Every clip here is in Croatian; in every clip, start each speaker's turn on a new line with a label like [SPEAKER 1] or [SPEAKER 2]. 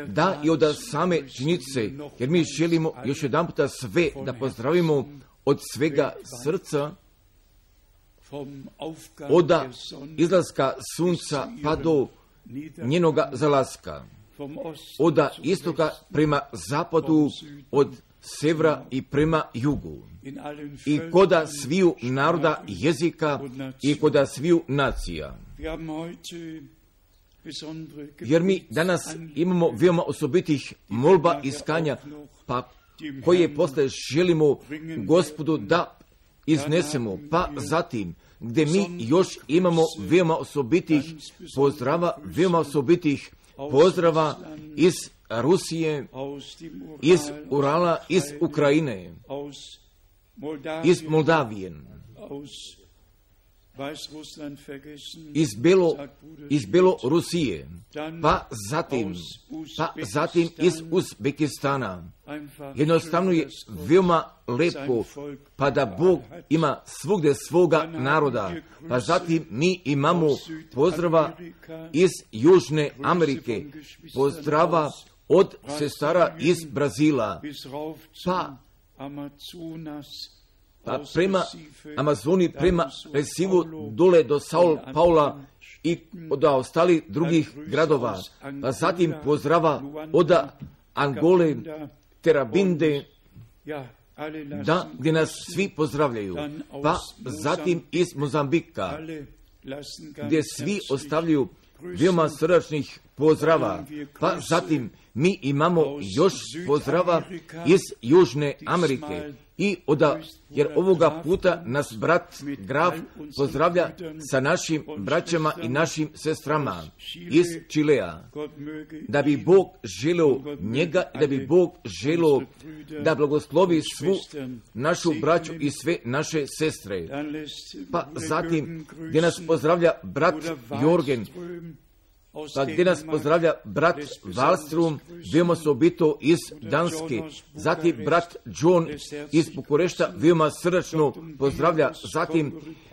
[SPEAKER 1] da i od same činjenice, jer mi želimo još jedan puta sve da pozdravimo od svega srca, od izlaska sunca pa do njenoga zalaska, od istoka prema zapadu, od severa i prema jugu, i koda sviju naroda, jezika i koda sviju nacija. Jer mi danas imamo veoma osobitih molba i iskanja, pa koje posle želimo Gospodu da iznesemo, pa zatim gdje mi još imamo veoma osobitih pozdrava, veoma osobitih pozdrava iz Rusije, iz Urala, iz Ukrajine, iz Moldavije, iz Belorusije, pa zatim iz Uzbekistana. Jednostavno je veoma lepo, pa da Bog ima svugdje svoga naroda. Pa zatim mi imamo pozdrava iz Južne Amerike, pozdrava od sestara iz Brazila, pa prema Amazoni, prema Recifu, dole do Sao Paula i od ostalih drugih gradova. Pa zatim pozdrava od Angole, Terabinde, da, gdje nas svi pozdravljaju. Pa zatim iz Mozambika, gdje svi ostavljaju veoma srdačnih pozdrava. Pa zatim mi imamo još pozdrava iz Južne Amerike. I jer ovoga puta nas brat Graf pozdravlja sa našim braćama i našim sestrama iz Čilea. Da bi Bog želio njega, da bi Bog želio da blagoslovi svu našu braću i sve naše sestre. Pa zatim gdje nas pozdravlja brat Jorgen, pa gdje nas pozdravlja brat Wallström, veoma osobito iz Danske, zatim brat John iz Bukurešta veoma srdačno pozdravlja, zatim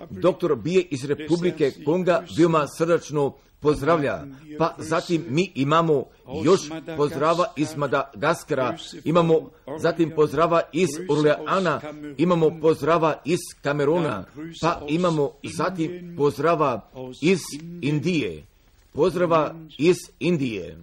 [SPEAKER 1] doktor Bije iz Republike Konga veoma srdačno pozdravlja, pa zatim mi imamo još pozdrava iz Madagaskara, imamo zatim pozdrava iz Orleana, imamo pozdrava iz Kameruna, pa imamo zatim pozdrava iz Indije. Pozdrava iz Indije,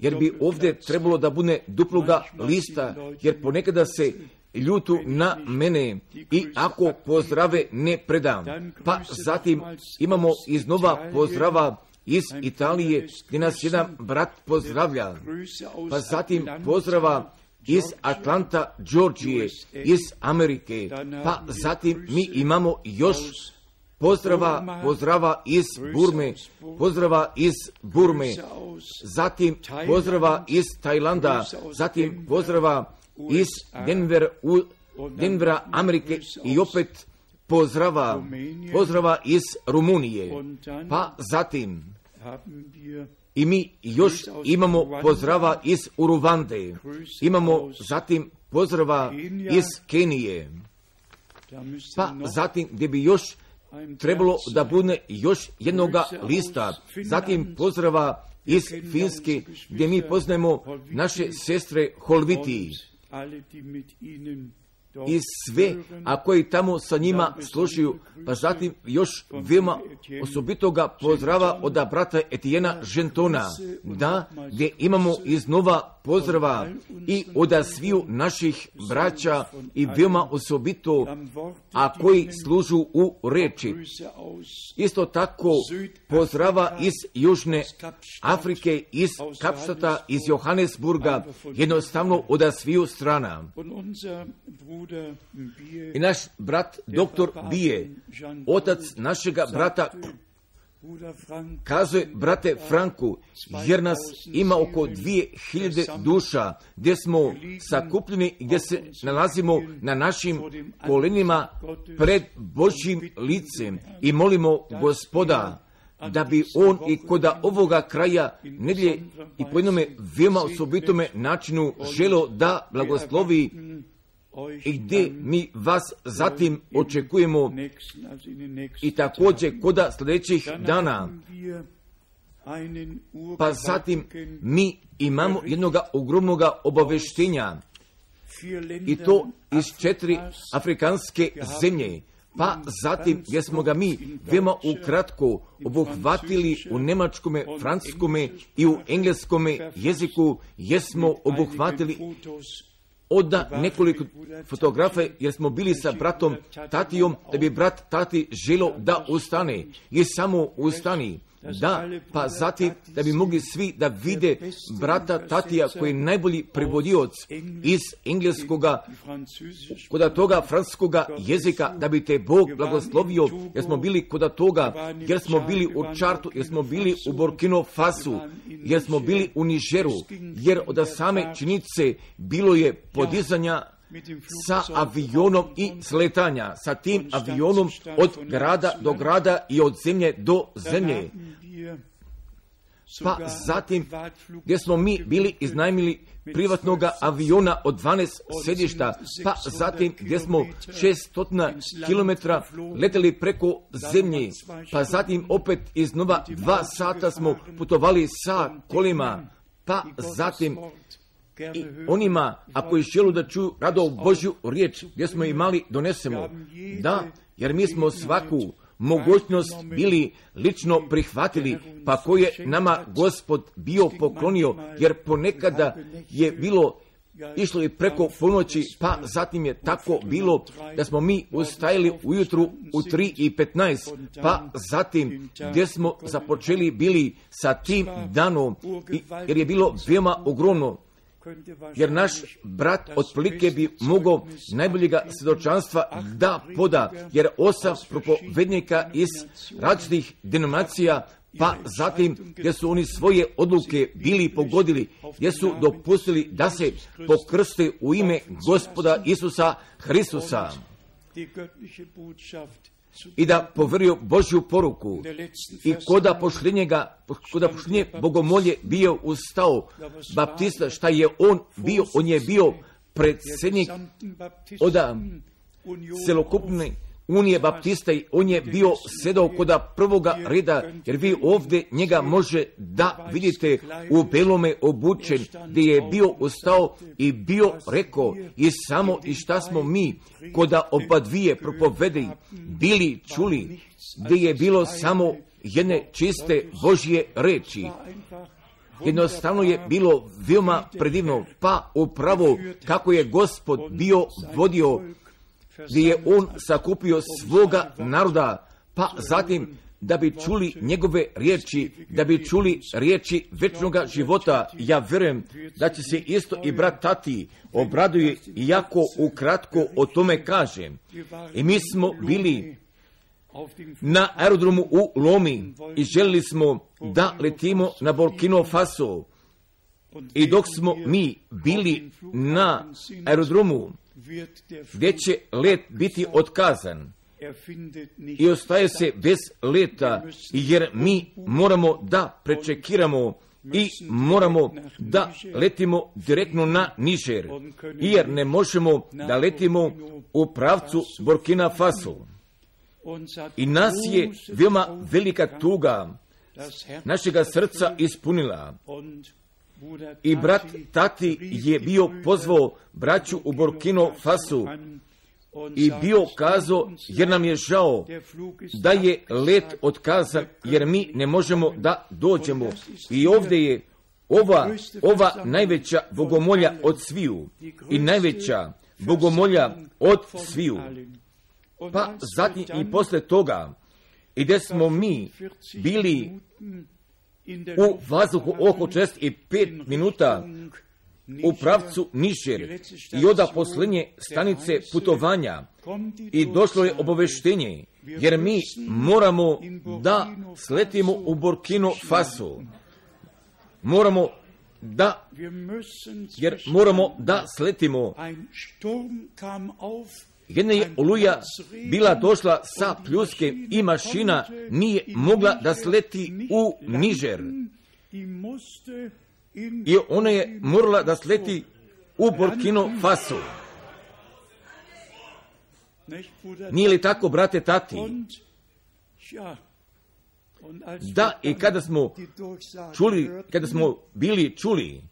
[SPEAKER 1] jer bi ovdje trebalo da bude duploga lista, jer ponekada se ljutu na mene i ako pozdrave ne predam. Pa zatim imamo iznova pozdrava iz Italije, gdje nas jedan brat pozdravlja. Pa zatim pozdrava iz Atlanta, Georgije, iz Amerike. Pa zatim mi imamo još pozdrava iz Burme, zatim pozdrava iz Tajlanda, zatim pozdrava iz Denvera, Amerike i opet pozdrava iz Rumunije. Pa zatim i mi još imamo pozdrava iz Uruvande, imamo zatim pozdrava iz Kenije, pa zatim gdje bi još trebalo da bude još jednoga lista, zatim pozdrava iz Finske, gdje mi poznajemo naše sestre Holviti i sve, a koji tamo sa njima slušaju, pa zatim još veoma osobitoga pozdrava od brata Etijena Žentona, da, gdje imamo iznova pozdrava i od sviju naših braća i veoma osobito, a koji služu u reči. Isto tako pozdrava iz Južne Afrike, iz Kapštata, iz Johannesburga, jednostavno od sviju strana. I naš brat doktor Bije, otac našega brata, kazuje, brate Franku, jer nas ima oko 2000 duša, gdje smo sakupljeni i gdje se nalazimo na našim kolenima pred Božjim licem i molimo Gospoda da bi on i kod ovoga kraja nedjelje i po jednome veoma osobitome načinu želio da blagoslovi i gdje mi vas zatim očekujemo i također kod sljedećih dana. Pa zatim mi imamo jednoga ogromnoga obaveštenja, i to iz 4 afrikanske zemlje. Pa zatim gdje smo ga mi veoma ukratko obuhvatili u njemačkome, francuskome i u engleskome jeziku, jesmo obuhvatili od nekoliko fotografe, jer smo bili sa bratom Tatijom, da bi brat Tati želio da ustane i samo ustani. Da, pa zatim da bi mogli svi da vide brata Tatija, koji je najbolji prevodioc iz engleskoga, kod toga francuskoga jezika, da bi te Bog blagoslovio, jer smo bili kod toga, jer smo bili u Čartu, jer smo bili u Burkina Fasu, jer smo bili u Nigeru, jer od same činjenice bilo je podizanja sa avionom i sletanja, sa tim avionom od grada do grada i od zemlje do zemlje. Pa zatim gdje smo mi bili iznajmili privatnog aviona od 12 sedišta, pa zatim gdje smo 600 km leteli preko zemlje, pa zatim opet iznova 2 sata smo putovali sa kolima, pa zatim i onima, ako je želu da čuju rado Božju riječ, gdje smo imali, donesemo. Da, jer mi smo svaku mogućnost bili lično prihvatili, pa koje je nama Gospod bio poklonio, jer ponekada je bilo išlo i preko ponoći, pa zatim je tako bilo da smo mi ustajali ujutru u 3:15, pa zatim gdje smo započeli bili sa tim danom, jer je bilo veoma ogromno. Jer naš brat otprilike bi mogao najboljega svjedočanstva da poda, jer 8 propovednika iz različitih denominacija, pa zatim gdje su oni svoje odluke bili pogodili, gdje su dopustili da se pokrste u ime Gospoda Isusa Hristusa i da poverio Božju poruku. I koda pošljenje bogomolje bio ustao baptista, šta je on bio? On je bio predsjednik od celokupne unije baptista i on je bio sedao koda prvoga reda, jer vi ovdje njega može da vidite u belome obučen, gdje je bio ustao i bio rekao i samo i šta smo mi koda oba dvije propovedi bili čuli, gdje je bilo samo jedne čiste Božje reči. Jednostavno je bilo veoma predivno, pa upravo kako je Gospod bio vodio, gdje je on sakupio svoga naroda, pa zatim da bi čuli njegove riječi, da bi čuli riječi večnoga života. Ja vjerujem da će se isto i brat Tati obraduje, iako ukratko o tome kažem. I mi smo bili na aerodromu u Lomi i želili smo da letimo na Burkina Faso. I dok smo mi bili na aerodromu, gdje će let biti otkazan i ostaje se bez leta, jer mi moramo da prečekiramo i moramo da letimo direktno na Niger, jer ne možemo da letimo u pravcu Burkina Faso. I nas je veoma velika tuga našega srca ispunila. I brat Tati je bio pozvao braću u Burkina Fasu i bio kazao, jer nam je žao da je let otkazan, jer mi ne možemo da dođemo. I ovdje je ova najveća bogomolja od sviju i najveća bogomolja od sviju. Pa zatim i posle toga, i gdje smo mi bili u vazduhu oko 45 minuta u pravcu Niger i oda posljednje stanice putovanja i došlo je obaveštenje, jer mi moramo da sletimo u Burkina Faso. Moramo da sletimo. Jedna je oluja bila došla sa pljuskem i mašina nije mogla da sleti u Niger. I ona je morala da sleti u Burkina Faso. Nije li tako, brate Tati? da i kada smo bili čuli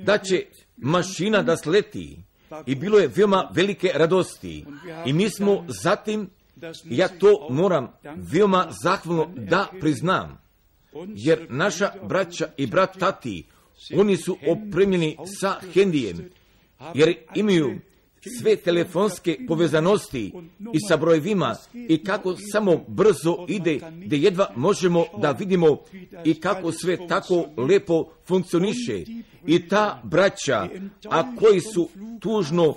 [SPEAKER 1] da će mašina da sleti, i bilo je veoma velike radosti. I mi smo zatim, ja to moram veoma zahvalno da priznam, jer naša braća i brat tati, oni su opremljeni sa hendijem, jer imaju sve telefonske povezanosti i sa brojevima, i kako samo brzo ide, da jedva možemo da vidimo i kako sve tako lepo funkcioniše. I ta braća, a koji su tužno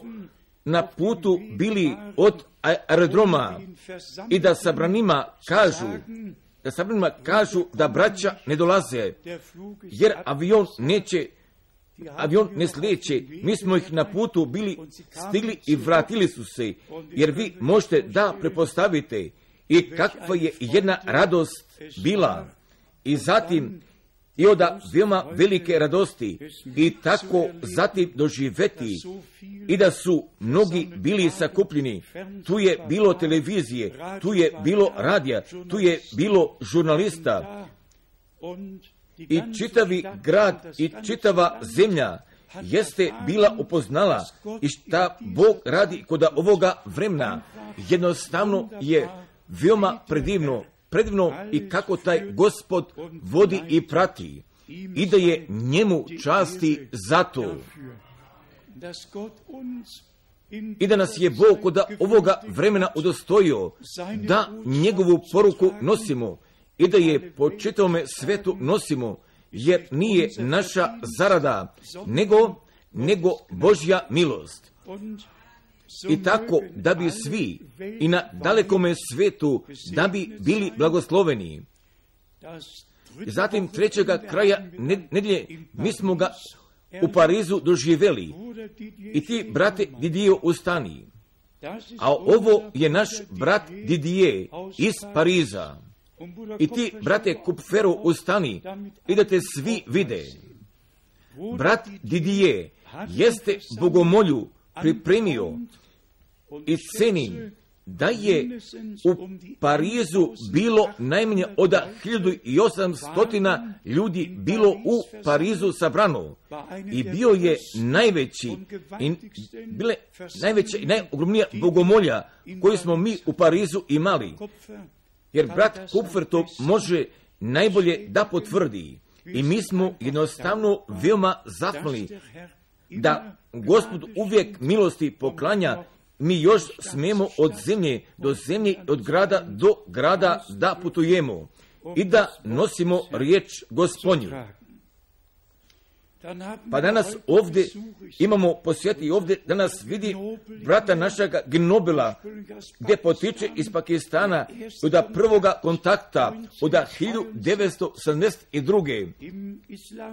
[SPEAKER 1] na putu bili od aerodroma, i da sabranima kažu da braća ne dolaze, jer avion ne slijeće. Mi smo ih na putu bili stigli i vratili su se, jer vi možete da prepostavite i kakva je jedna radost bila. I zatim i od veoma velike radosti, i tako zatim doživeti i da su mnogi bili sakupljeni. Tu je bilo televizije, tu je bilo radija, tu je bilo žurnalista, i čitavi grad i čitava zemlja jeste bila upoznala i šta Bog radi kod ovoga vremena. Jednostavno je veoma predivno i kako taj Gospod vodi i prati, i da je njemu časti za to. I da nas je Bog kod ovoga vremena udostojio da njegovu poruku nosimo, i da je po čitavome svetu nosimo, jer nije naša zarada, nego Božja milost. I tako da bi svi i na dalekome svetu da bi bili blagosloveni. Zatim trećega kraja nedelje mi smo ga u Parizu doživjeli, i ti, brate Didier, ustani. A ovo je naš brat Didier iz Pariza. I ti, brate Kupferu, ustani i da te svi vide. Brat Didier jeste bogomolju pripremio, i cenim da je u Parizu bilo najmanje od 1800 ljudi bilo u Parizu sabrano, i bio je najveća i najogromnija bogomolja koju smo mi u Parizu imali. Jer brat Kupfer to može najbolje da potvrdi. I mi smo jednostavno veoma zahvalni da Gospod uvijek milosti poklanja. Mi još smemo od zemlje do zemlje, od grada do grada da putujemo i da nosimo riječ Gospodnju. Pa danas ovdje imamo posjeti, ovdje danas vidi brata našega Gnobela, gdje potiče iz Pakistana, od prvoga kontakta, od 1972.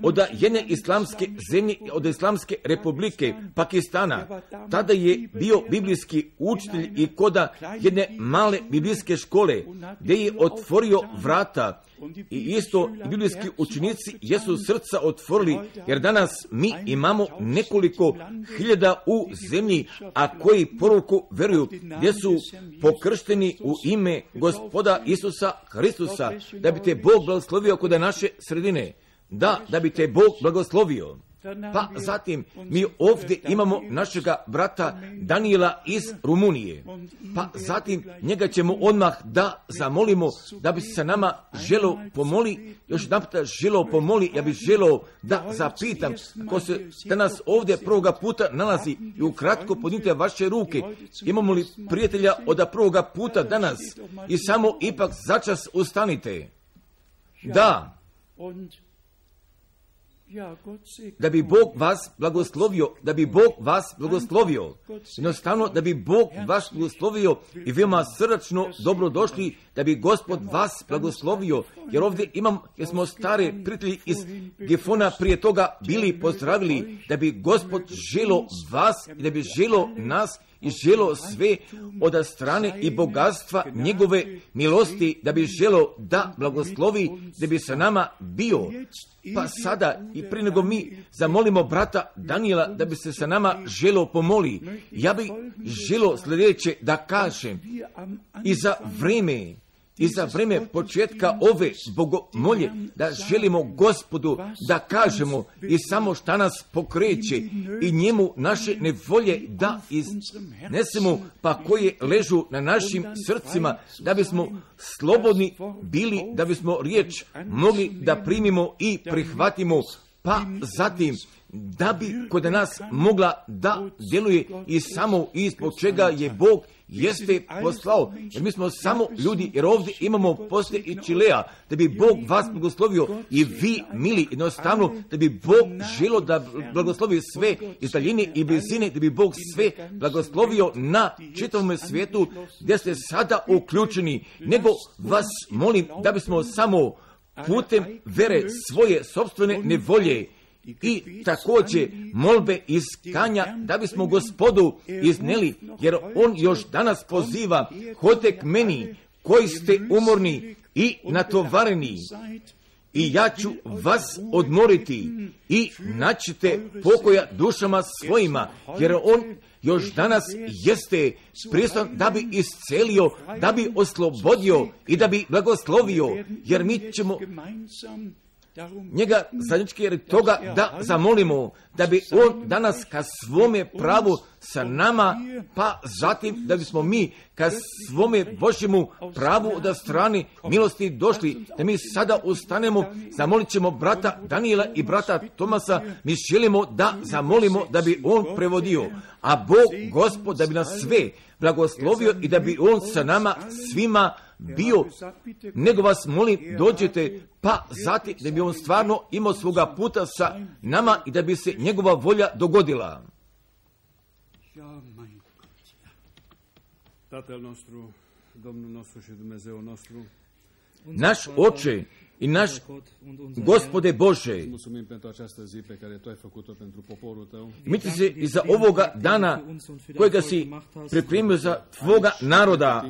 [SPEAKER 1] od jedne islamske zemlje, od Islamske republike Pakistana. Tada je bio biblijski učitelj i koda jedne male biblijske škole, gdje je otvorio vrata. I isto biblijski učenici jesu srca otvorili, jer danas mi imamo nekoliko hiljada u zemlji, a koji poruku veruju, gdje su pokršteni u ime Gospoda Isusa Hristusa, da bi te Bog blagoslovio kod naše sredine. Da bi te Bog blagoslovio. Pa zatim mi ovdje imamo našega brata Daniela iz Rumunije. Pa zatim njega ćemo odmah da zamolimo da bi se nama želo pomoli. Još jedan puta želo pomoli, ja bih želo da zapitam, ko se danas ovdje prvoga puta nalazi, i ukratko podnite vaše ruke. Imamo li prijatelja od prvoga puta danas? I samo ipak začas ustanite. Da. Da bi Bog vas blagoslovio, jednostavno da bi Bog vas blagoslovio, i veoma srdačno dobrodošli, da bi Gospod vas blagoslovio, jer ovdje jer smo stare prijatelji iz Gefona prije toga bili pozdravili, da bi Gospod želo vas i da bi želo nas i želo sve od strane i bogatstva njegove milosti, da bi želo da blagoslovi, da bi sa nama bio. Pa sada, i prije nego mi zamolimo brata Daniela da bi se sa nama želo pomoli, ja bih želo sljedeće da kažem. I za vreme i za vreme početka ove bogomolje, da želimo Gospodu da kažemo i samo šta nas pokreće i njemu naše nevolje da iznesemo, pa koje ležu na našim srcima, da bismo slobodni bili, da bismo riječ mogli da primimo i prihvatimo, pa zatim da bi kod nas mogla da djeluje i samo ispod čega je Bog jeste poslao, jer mi smo samo ljudi, jer ovdje imamo poslije i Čilea, da bi Bog vas blagoslovio i vi, mili, jednostavno, da bi Bog želio da blagoslovi sve iz daljine i blizine, da bi Bog sve blagoslovio na čitavom svijetu gdje ste sada uključeni, nego vas molim da bismo samo putem vere svoje sopstvene nevolje i također molbe iskanja da bismo Gospodu izneli, jer On još danas poziva: hodite k meni koji ste umorni i natovareni i ja ću vas odmoriti i naćete pokoja dušama svojima, jer On još danas jeste prisutan da bi iscelio, da bi oslobodio i da bi blagoslovio, jer mi ćemo njega zajednički jer toga da zamolimo, da bi On danas ka svome pravu sa nama, pa zatim da bismo mi ka svome Božjemu pravu od strane milosti došli, da mi sada ustanemo, zamolit ćemo brata Danijela i brata Tomasa, mi želimo da zamolimo da bi on prevodio, a Bog Gospod da bi nas sve blagoslovio i da bi On sa nama svima bio, nego vas molim dođete, pa zatim da bi On stvarno imao svoga puta sa nama i da bi se njegova volja dogodila. Naš Oče i naš Gospode Bože, mi ti se i za ovoga dana kojega si pripremio za tvoga naroda,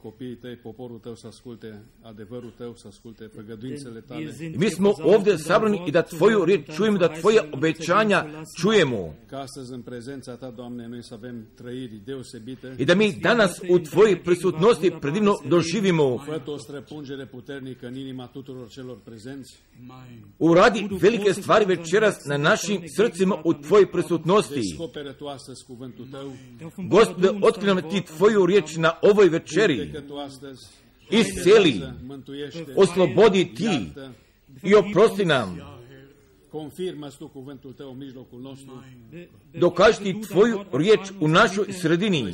[SPEAKER 2] copiii tăi, poporul tău să asculte adevărul tău, să asculte făgăduințele tale.
[SPEAKER 1] Mi smo ovdje sabrani i da tvoju riječ čujemo, da tvoja obećanja čujemo.
[SPEAKER 2] Ca astăzi în prezența ta, Doamne, noi să avem trăiri deosebite.
[SPEAKER 1] I da mi danas u tvojoj prisutnosti predivno doživimo.
[SPEAKER 2] Fă o străpungere puternică în inima tuturor celor prezenți.
[SPEAKER 1] Uradi velike stvari večeras na našim srcima u tvojoj prisutnosti.
[SPEAKER 2] Descoperă tu astăzi cuvântul tău.
[SPEAKER 1] Gospode, otkri nam ti tvoju riječ na ovoj večeri. Isceli, oslobodi ti i oprosti nam. Dokaži ti tvoju riječ u našoj sredini.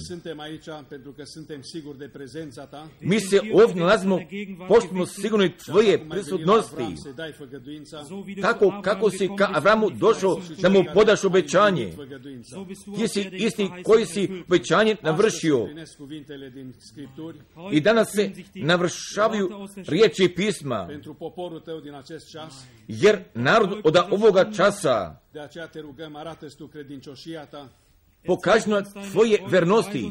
[SPEAKER 1] Mi se ovdje nalazimo, poštimo sigurno tvoje prisutnosti. Tako kako si ka Avramu došao da mu podaš obećanje. Ti si isti koji si obećanje navršio. I danas se navršavaju riječi pisma. Jer narod od ovoga časa pokaži nam tvoje vernosti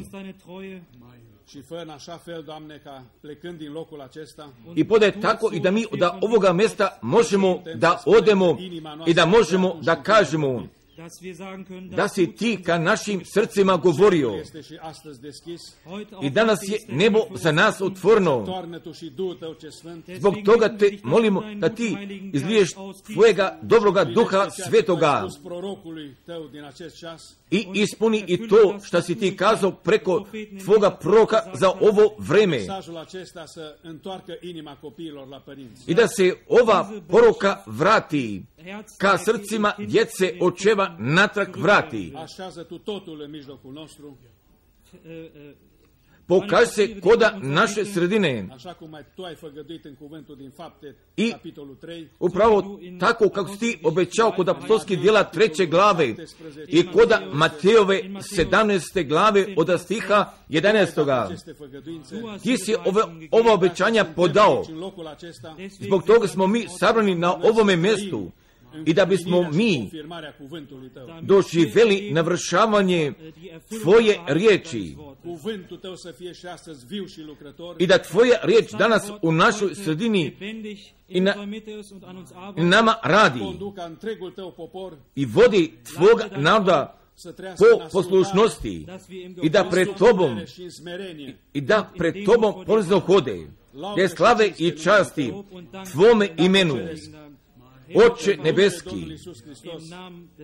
[SPEAKER 1] i podaj tako i da mi od ovoga mjesta možemo da odemo i da možemo da kažemo da si ti ka našim srcima govorio i danas je nebo za nas otvoreno. Zbog toga te molimo da ti izliješ tvojega dobroga duha svetoga i ispuni i to što si ti kazao preko tvoga proroka za ovo vreme i da se ova poruka vrati ka srcima djece očeva natrag vrati. Pokaži se koda naše sredine i upravo tako kako si ti obećao kod apostolskih djela 3. glave i koda Matejove 17. glave od stiha 11. Ti si ova obećanja podao. Zbog toga smo mi sabrani na ovome mjestu i da bismo mi doživjeli navršavanje tvoje riječi i da tvoja riječ danas u našoj sredini i nama radi i vodi tvoga naroda po poslušnosti i da pred tobom ponizno hode, gdje slave i časti tvome imenu, Oče nebeski,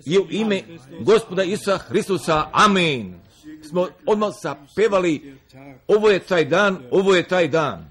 [SPEAKER 1] i u ime Gospoda Isusa Hristusa, amen. Smo odmah zapevali, ovo je taj dan, ovo je taj dan.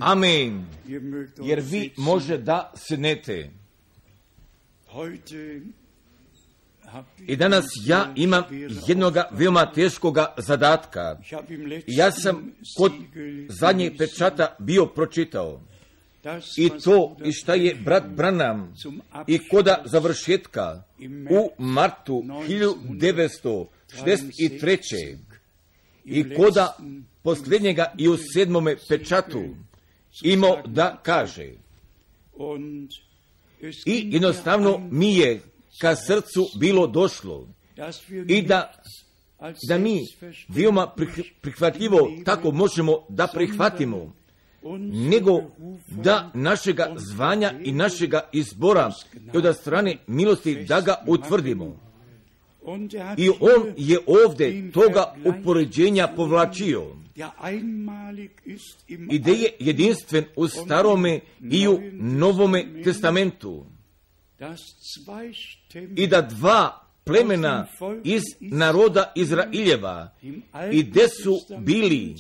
[SPEAKER 1] Amen. Jer vi može da sednete. I danas ja imam jednoga veoma teškoga zadatka. Ja sam kod zadnjeg pečata bio pročitao. I to i šta je brat Branham i koda završetka u martu 1963. i koda posljednjega i u 7. pečatu imao da kaže. I jednostavno mi je ka srcu bilo došlo i da mi veoma prihvatljivo tako možemo da prihvatimo, nego da našega zvanja i našega izbora i od strane milosti da ga utvrdimo. I on je ovdje toga upoređenja povlačio. I da je jedinstven u Starome i u Novome testamentu. I da dva plemena iz naroda Izraeljeva i gde su bili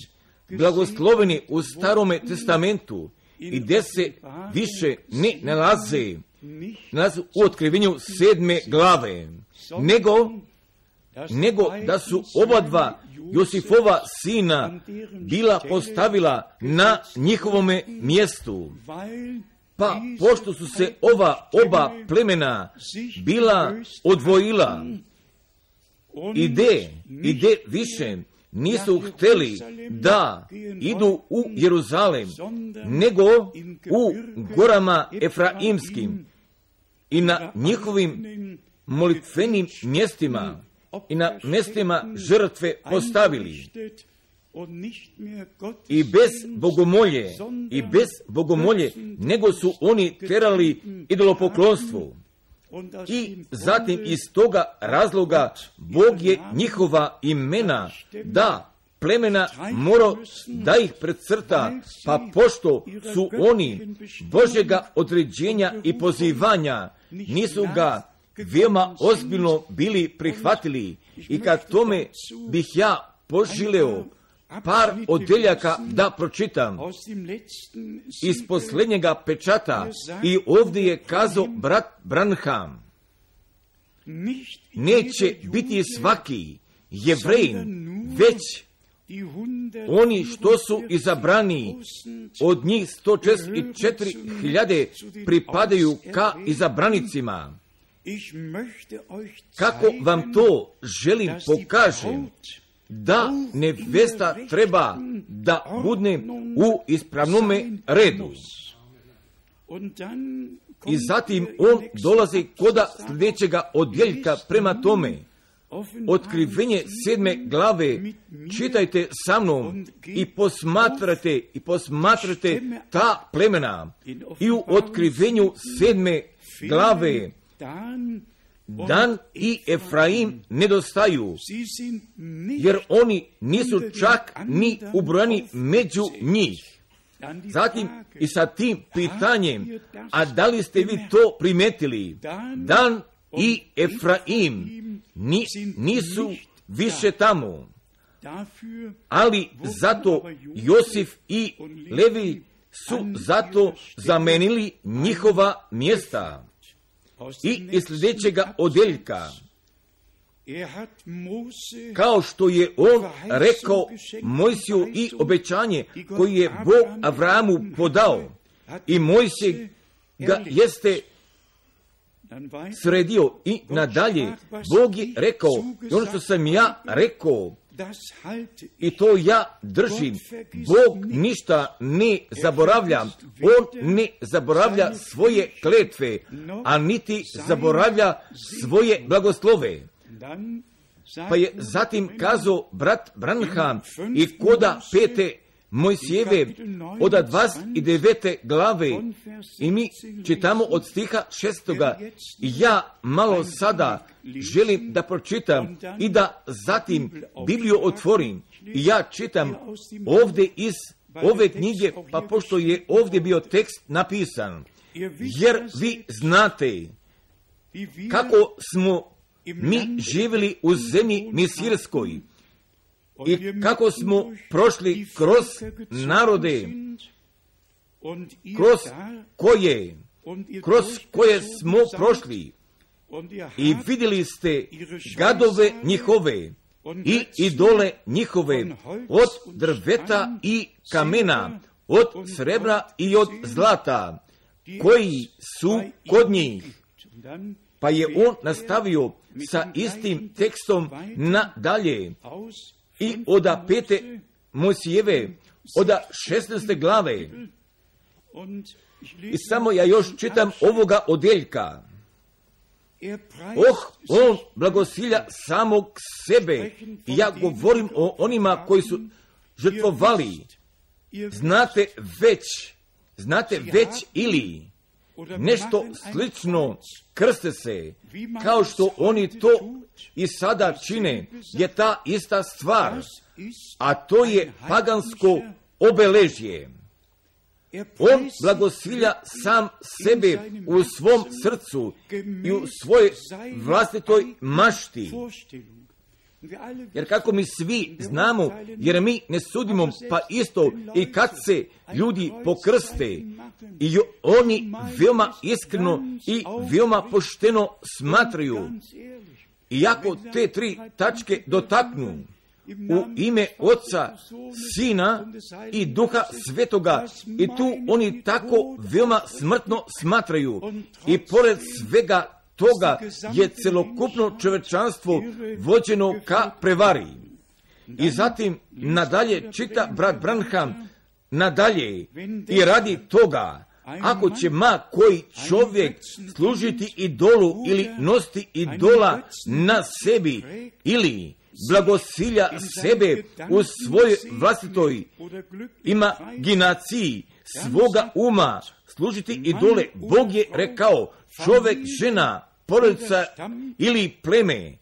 [SPEAKER 1] blagosloveni u Starome testamentu i gde se više ne nalaze u otkrivenju 7. glave, nego da su oba dva Josifova sina bila postavila na njihovome mjestu. Pa pošto su se oba plemena bila odvojila i de više nisu htjeli da idu u Jeruzalem, nego u gorama Efraimskim i na njihovim molitvenim mjestima i na mjestima žrtve postavili. I bez bogomolje, nego su oni terali idolopoklonstvu. I zatim iz toga razloga Bog je njihova imena da plemena morao da ih precrta, pa pošto su oni Božjega određenja i pozivanja, nisu ga veoma ozbiljno bili prihvatili. I kad tome bih ja poželeo par odeljaka da pročitam iz posljednjega pečata, i ovdje je kazao brat Branham, neće biti svaki Jevrejin, već oni što su izabrani, od njih 144.000 pripadaju ka izabranicima. Kako vam to želim pokažem, da nevesta treba da bude u ispravnome redu. I zatim on dolazi koda sljedećega odjeljka prema tome. Otkrivenje 7. glave, čitajte sa mnom i posmatrate ta plemena. I u otkrivenju 7. glave Dan i Efraim nedostaju, jer oni nisu čak ni ubrojani među njih. Zatim i sa tim pitanjem, a da li ste vi to primetili? Dan i Efraim nisu više tamo, ali zato Josif i Levi su zato zamenili njihova mjesta. I iz sljedećega odjeljka, kao što je on rekao Mojsiju i obećanje koje je Bog Avramu podao, i Mojsije ga jeste sredio i nadalje. Bog je rekao, i ono što sam ja rekao, i to ja držim. Bog ništa ne zaboravlja. On ne zaboravlja svoje kletve, a niti zaboravlja svoje blagoslove. Pa je zatim kazao brat Branham i koda 5. Mojsijeve od 29. glave, i mi čitamo od stiha 6. I ja malo sada želim da pročitam i da zatim Bibliju otvorim. I ja čitam ovdje iz ove knjige, pa pošto je ovdje bio tekst napisan, jer vi znate kako smo mi živjeli u zemlji misirskoj i kako smo prošli kroz narode, kroz koje smo prošli, i vidjeli ste gadove njihove i idole njihove, od drveta i kamena, od srebra i od zlata, koji su kod njih. Pa je on nastavio sa istim tekstom nadalje i od 5. Mojsijeve, od 16. glave. I samo ja još čitam ovoga odjeljka. On blagosilja samog sebe. I ja govorim o onima koji su žrtvovali. Znate već ili nešto slično krste se, kao što oni to i sada čine, je ta ista stvar, a to je pagansko obeležje. On blagosilja sam sebe u svom srcu i u svojoj vlastitoj mašti. Jer kako mi svi znamo, jer mi ne sudimo, pa isto i kad se ljudi pokrste, i oni veoma iskreno i veoma pošteno smatraju. Iako te 3 tačke dotaknu u ime Oca, Sina i Duha Svetoga, i tu oni tako veoma smrtno smatraju, i pored svega toga je celokupno čovečanstvo vođeno ka prevari. I zatim nadalje čita brat Branham nadalje, i radi toga, ako će ma koji čovjek služiti idolu ili nositi idola na sebi, ili blagosilja sebe u svojoj vlastitoj imaginaciji svoga uma, služiti idole, Bog je rekao, čovjek, žena, porodica ili pleme,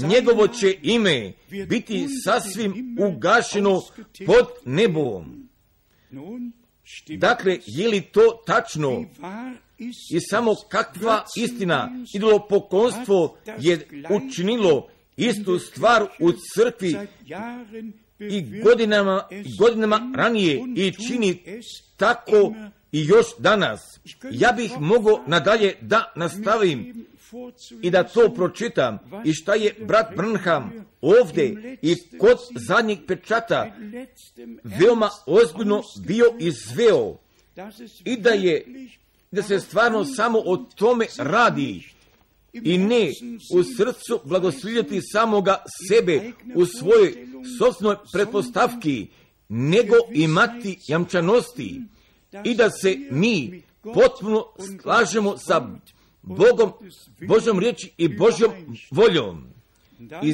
[SPEAKER 1] njegovo će ime biti sasvim ugašeno pod nebom. Dakle, je li to tačno? I samo kakva istina, idolopoklonstvo je učinilo istu stvar u crkvi i godinama ranije i čini tako i još danas. Ja bih mogao nadalje da nastavim i da to pročitam, i šta je brat Branham ovdje i kod zadnjeg pečata veoma ozbiljno bio izveo, i da se stvarno samo o tome radi, i ne u srcu blagoslovljati samoga sebe u svojoj sopstvenoj pretpostavki, nego imati jamčanosti, i da se mi potpuno slažemo sa Bogom, Božjom riječi i Božjom voljom. I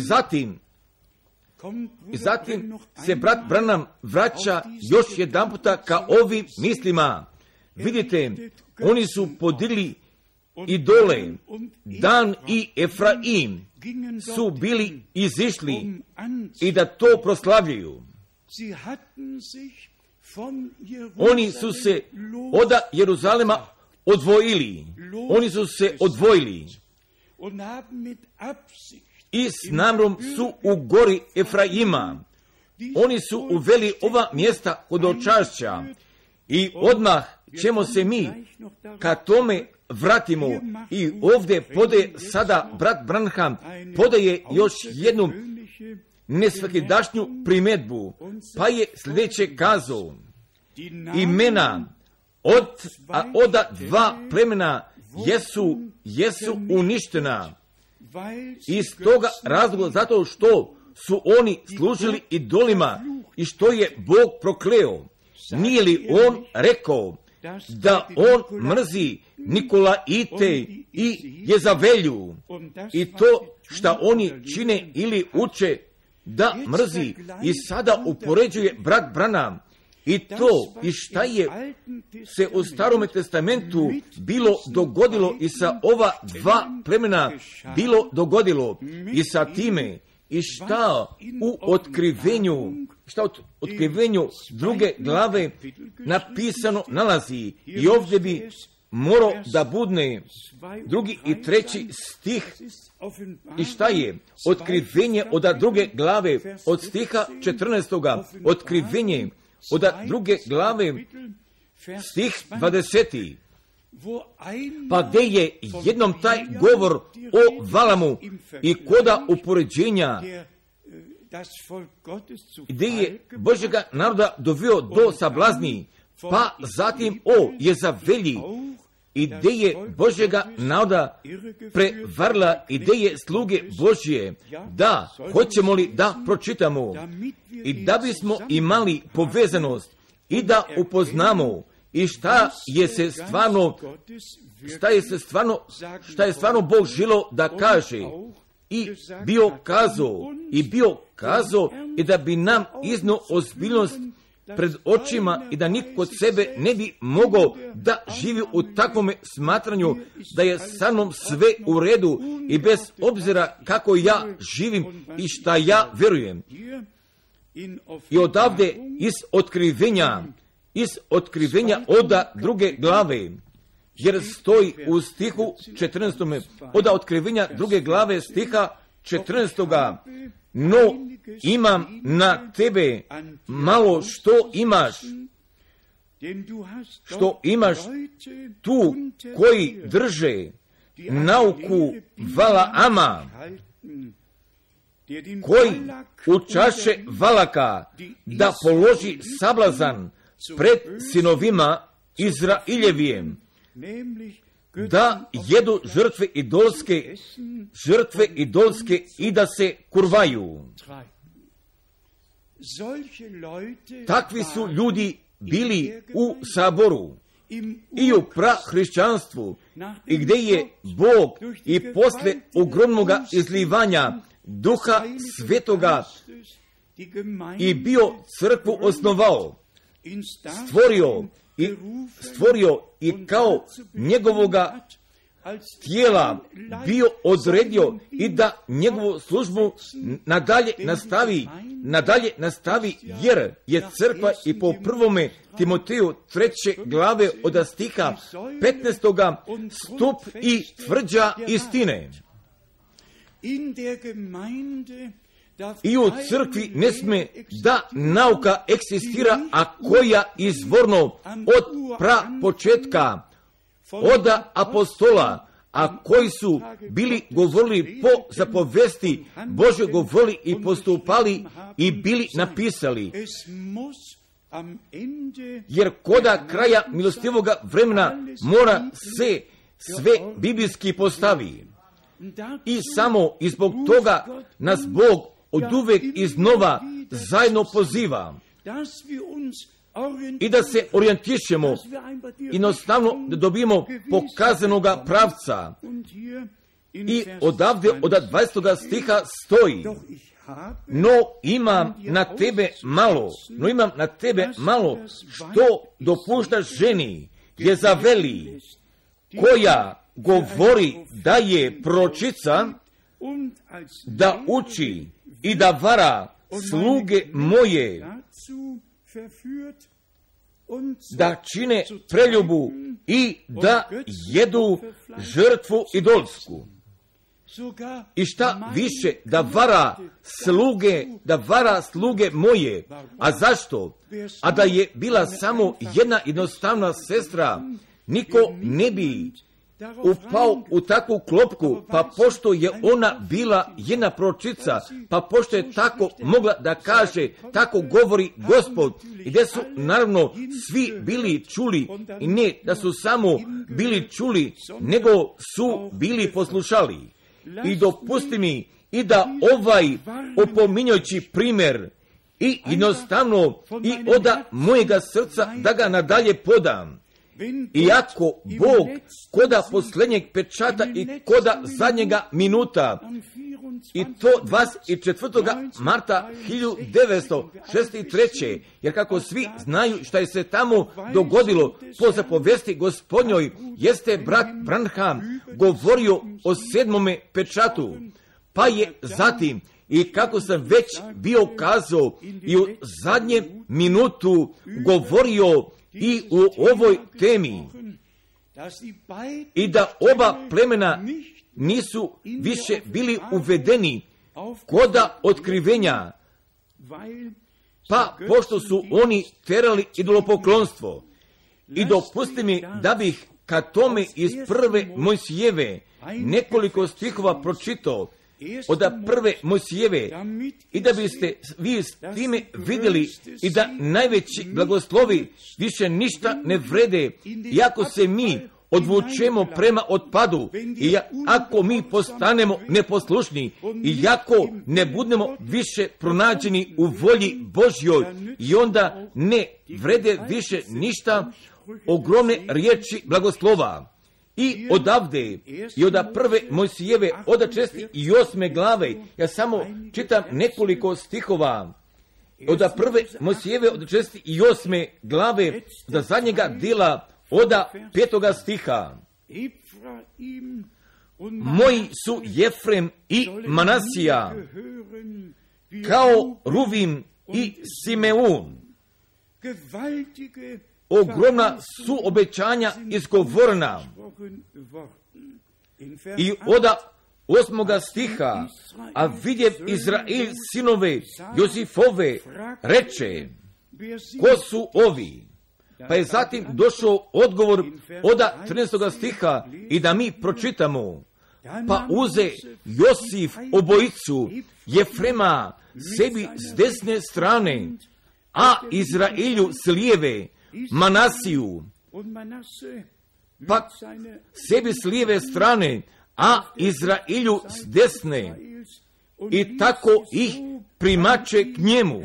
[SPEAKER 1] zatim se brat Branham vraća još jedan puta ka ovim mislima. Vidite, oni su podigli idole. Dan i Efraim su bili izišli i da to proslavljaju. Oni su se od Jeruzalema odvojili. Oni su se odvojili i s namjerom su u gori Efraima. Oni su uveli ova mjesta hodočašća, i odmah ćemo se mi ka tome vratimo. I ovdje podaje sada brat Branham, podaje još jednu nesvakidašnju primjedbu, pa je sljedeće kazao: imena od dva plemena jesu uništena. Iz toga razloga, zato što su oni služili idolima i što je Bog prokleo. Nije li on rekao da on mrzi Nikolaite i Jezavelju i to što oni čine ili uče da mrzi, i sada upoređuje brat Branham i to i šta je se u Starome testamentu bilo dogodilo i sa ova dva plemena bilo dogodilo i sa time i šta u otkrivenju druge glave napisano nalazi. I ovdje bi morao da budne 2. i 3. stih. I šta je otkrivenje od druge glave od stiha 14. Otkrivenje od druge glave stih 20. Pa gdje je jednom taj govor o Valamu i koda upoređenja, gdje je Božjega naroda doveo do sablazni, pa zatim o Jezavelji, i gdje je Božjega naroda prevarila i gdje je sluge Božje. Da, hoćemo li da pročitamo i da bismo imali povezanost i da upoznamo i šta je stvarno Bog želio da kaže i bio kazao i da bi nam iznio ozbiljnost pred očima i da niko kod sebe ne bi mogao da živi u takvom smatranju da je sa mnom sve u redu i bez obzira kako ja živim i šta ja vjerujem. I odavde iz otkrivenja od druge glave, jer stoji u stihu 14. od otkrivenja druge glave stiha 14. No, imam na tebe malo što imaš tu koji drže nauku Valaama, koji učaše Valaka da položi sablazan pred sinovima Izrailjevijem, da jedu žrtve idolske i da se kurvaju. Takvi su ljudi bili u saboru i u prahrišćanstvu, i gdje je Bog i posle ogromnoga izlivanja Duha Svetoga i bio crkvu osnovao, stvorio i kao njegovoga tijela bio odredio i da njegovu službu nadalje nastavi, jer je crkva i po 1. Timoteju 3. glave od stiha 15. stup i tvrđa istine. I u crkvi ne sme da nauka eksistira, a koja izvorno od prapočetka, od apostola, a koji su bili govorili po zapovesti Božje, govorili i postupali i bili napisali. Jer koda kraja milostivoga vremena mora se sve biblijski postavi. I samo i zbog toga nas Bog oduvek iznova zajedno poziva i da se orijentišemo i jednostavno da dobijemo pokazanoga pravca. I odavde od 20. stiha stoji: no imam na tebe malo što dopuštaš ženi Jezaveli, koja govori da je proročica, da uči i da vara sluge moje, da čine preljubu i da jedu žrtvu idolsku. I šta više, da vara sluge moje. A zašto? A da je bila samo jedna jednostavna sestra, niko ne bi upao u takvu klopku, pa pošto je ona bila jedna proročica, pa pošto je tako mogla da kaže, tako govori Gospod, i gdje su naravno svi bili čuli, i ne da su samo bili čuli, nego su bili poslušali. I dopusti mi i da ovaj opominjući primjer i jednostavno i oda mojega srca da ga nadalje podam. Iako Bog koda posljednjeg pečata i koda zadnjega minuta, i to 24. marta 1963. jer kako svi znaju šta je se tamo dogodilo po zapovesti Gospodnjoj, jeste brat Branham govorio o 7. pečatu, pa je zatim, i kako sam već bio kazao, i u zadnjem minutu govorio i u ovoj temi, i da oba plemena nisu više bili uvedeni koda otkrivenja, pa pošto su oni terali idolopoklonstvo. I dopusti mi da bih ka tome iz prve Mojsijeve nekoliko stihova pročitao, od prve Mojsijeve, i da biste vi s time vidjeli i da najveći blagoslovi više ništa ne vrede, iako se mi odvučemo prema otpadu, i ako mi postanemo neposlušni, i ako ne budemo više pronađeni u volji Božjoj, i onda ne vrede više ništa ogromne riječi blagoslova. I odavde, i od prve Mojsijeve, od 6. i 8. glave, ja samo čitam nekoliko stihova, od prve Mojsijeve, od 6. i 8. glave, do zadnjega dela, od 5. stiha. Moji su Jefrem i Manasija, kao Ruvim i Simeun. Ogromna su obećanja izgovorena. I od 8. stiha, a vidjev Izrael sinove Josifove, reče, ko su ovi? Pa je zatim došao odgovor od 13. stiha, i da mi pročitamo. Pa uze Josif obojicu Jefrema sebi s desne strane, a Izraelju s lijeve Manasiju, pa sebi s lijeve strane, a Izraelju s desne, i tako ih primače k njemu.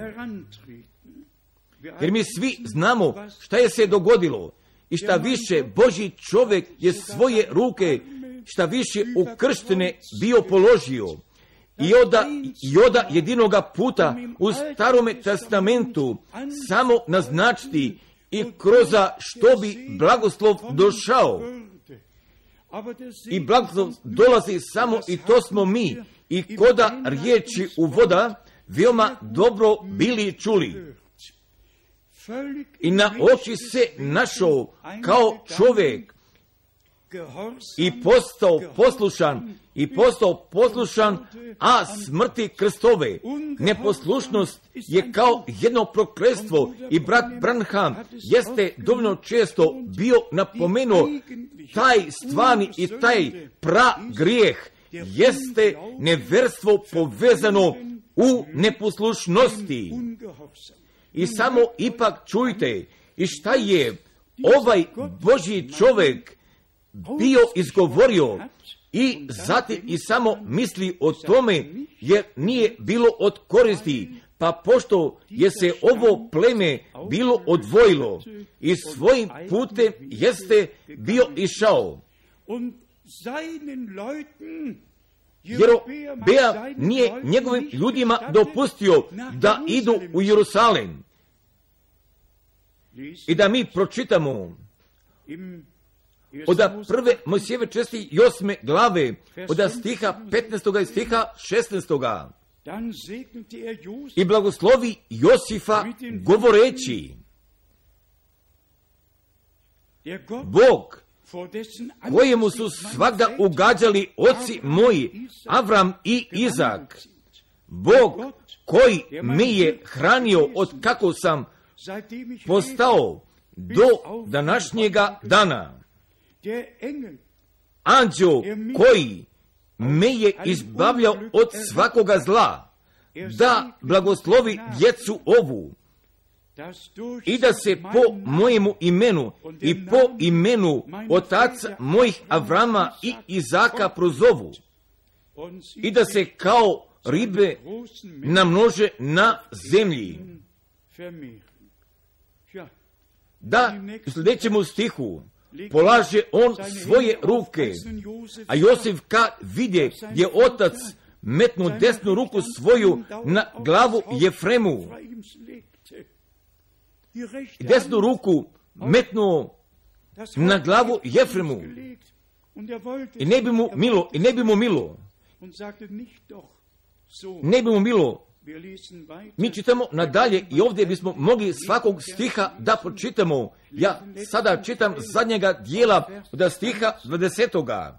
[SPEAKER 1] Jer mi svi znamo šta je se dogodilo, i šta više Božji čovjek je svoje ruke, šta više u krštene bio položio. I oda jedinoga puta u Starome testamentu samo naznačiti i kroz što bi blagoslov došao. I blagoslov dolazi samo, i to smo mi, i koda riječi uvoda veoma dobro bili čuli. I na oči se našao kao čovjek i postao poslušan, a smrti Kristove. Neposlušnost je kao jedno prokletstvo, i brat Branham jeste dovoljno često bio napomenuo taj stvarni i taj grijeh jeste neverstvo povezano u neposlušnosti. I samo ipak čujte, i šta je ovaj Božji čovjek bio izgovorio, i zatim i samo misli o tome, jer nije bilo od koristi, pa pošto je se ovo pleme bilo odvojilo i svojim putem jeste bio išao. Jer Bea nije njegovim ljudima dopustio da idu u Jerusalem. I da mi pročitamo od prve Mojsijeve 6. i 8. glave, od stiha 15. i stiha 16. I blagoslovi Josifa govoreći, Bog kojemu su svagda ugađali oci moji, Avram i Izak, Bog koji me je hranio od kako sam postao do današnjega dana. anđeo koji me je izbavljao od svakoga zla, da blagoslovi djecu ovu i da se po mojemu imenu i po imenu otaca mojih Avrama i Izaka prozovu i da se kao ribe namnože na zemlji. Da, u sljedećemu stihu polaže on svoje ruke, a Josif kad vidje je otac metnu desnu ruku svoju na glavu Jefremu i desnu ruku metnuo na glavu Jefremu i ne bi mu milo, ne bi mu milo. Mi čitamo nadalje i ovdje bismo mogli svakog stiha da pročitamo. Ja sada čitam zadnjega dijela od stiha 20.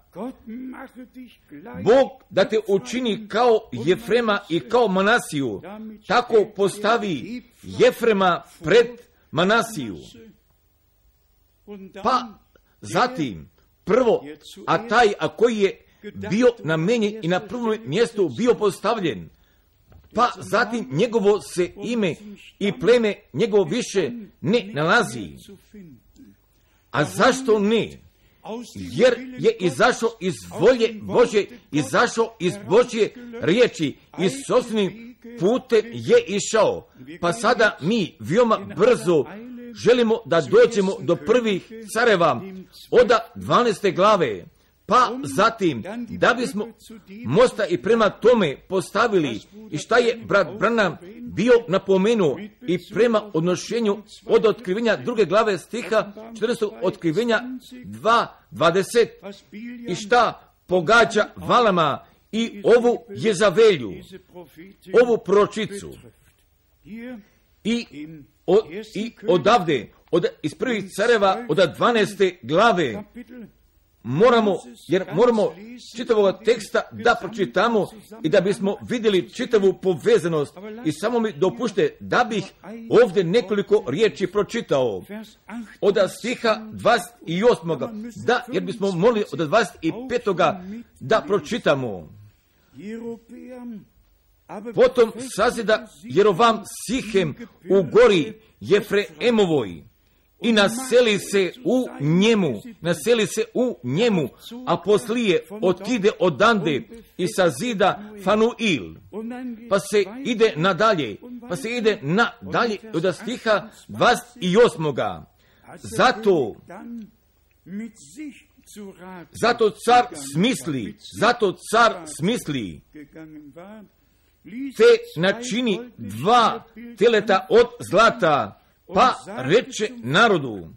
[SPEAKER 1] Bog da te učini kao Jefrema i kao Manasiju, tako postavi Jefrema pred Manasiju. Pa zatim prvo, a koji je bio namenjen i na prvom mjestu bio postavljen, pa zatim njegovo se ime i pleme njegovo više ne nalazi. A zašto ne? Jer je izašao iz volje Božje, izašao iz Božje riječi i sopstvenim putem je išao. Pa sada mi veoma brzo želimo da dođemo do prvih careva od 12. glave. Pa zatim, da bismo mosta i prema tome postavili i šta je brat Branham bio napomenuo i prema odnošenju od otkrivenja 2. glave stiha 14. otkrivenja 2:20 i šta pogađa Valama i ovu Jezavelju, ovu proročicu. I odavde, iz prvih careva od 12. glave, moramo čitavog teksta da pročitamo i da bismo vidjeli čitavu povezanost. I samo mi dopušte da bih ovdje nekoliko riječi pročitao od stiha 28. Da, jer bismo mogli od 25. da pročitamo. Potom sazida Jerovam Sihem u gori Jefreemovoj i naseli se u njemu, a poslije otkide odande i sazida Fanuil. Pa se ide nadalje od stiha 28. Zato car smisli, te načini 2 teleta od zlata, pa reče narodu,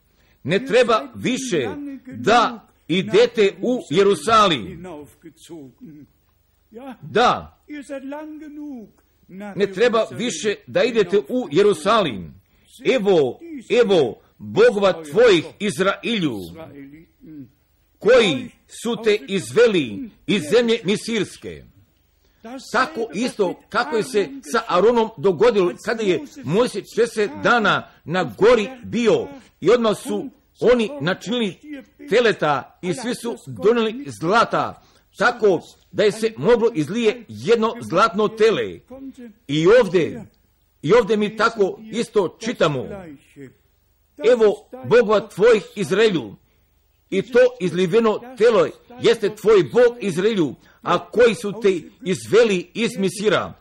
[SPEAKER 1] ne treba više da idete u Jerusalim. Da, ne treba više da idete u Jerusalim. Evo, Bogova tvojih Izrailju, koji su te izveli iz zemlje Misirske. Tako isto kako je se sa Aronom dogodilo kada je Mojsije 40 dana na gori bio i odmah su oni načinili teleta i svi su donijeli zlata, tako da je se moglo izlije jedno zlatno tele. I ovdje mi tako isto čitamo. Evo Bogova tvojih Izraelju, i to izliveno telo jeste tvoj Bog Izraelju, a koji su te izveli iz Misira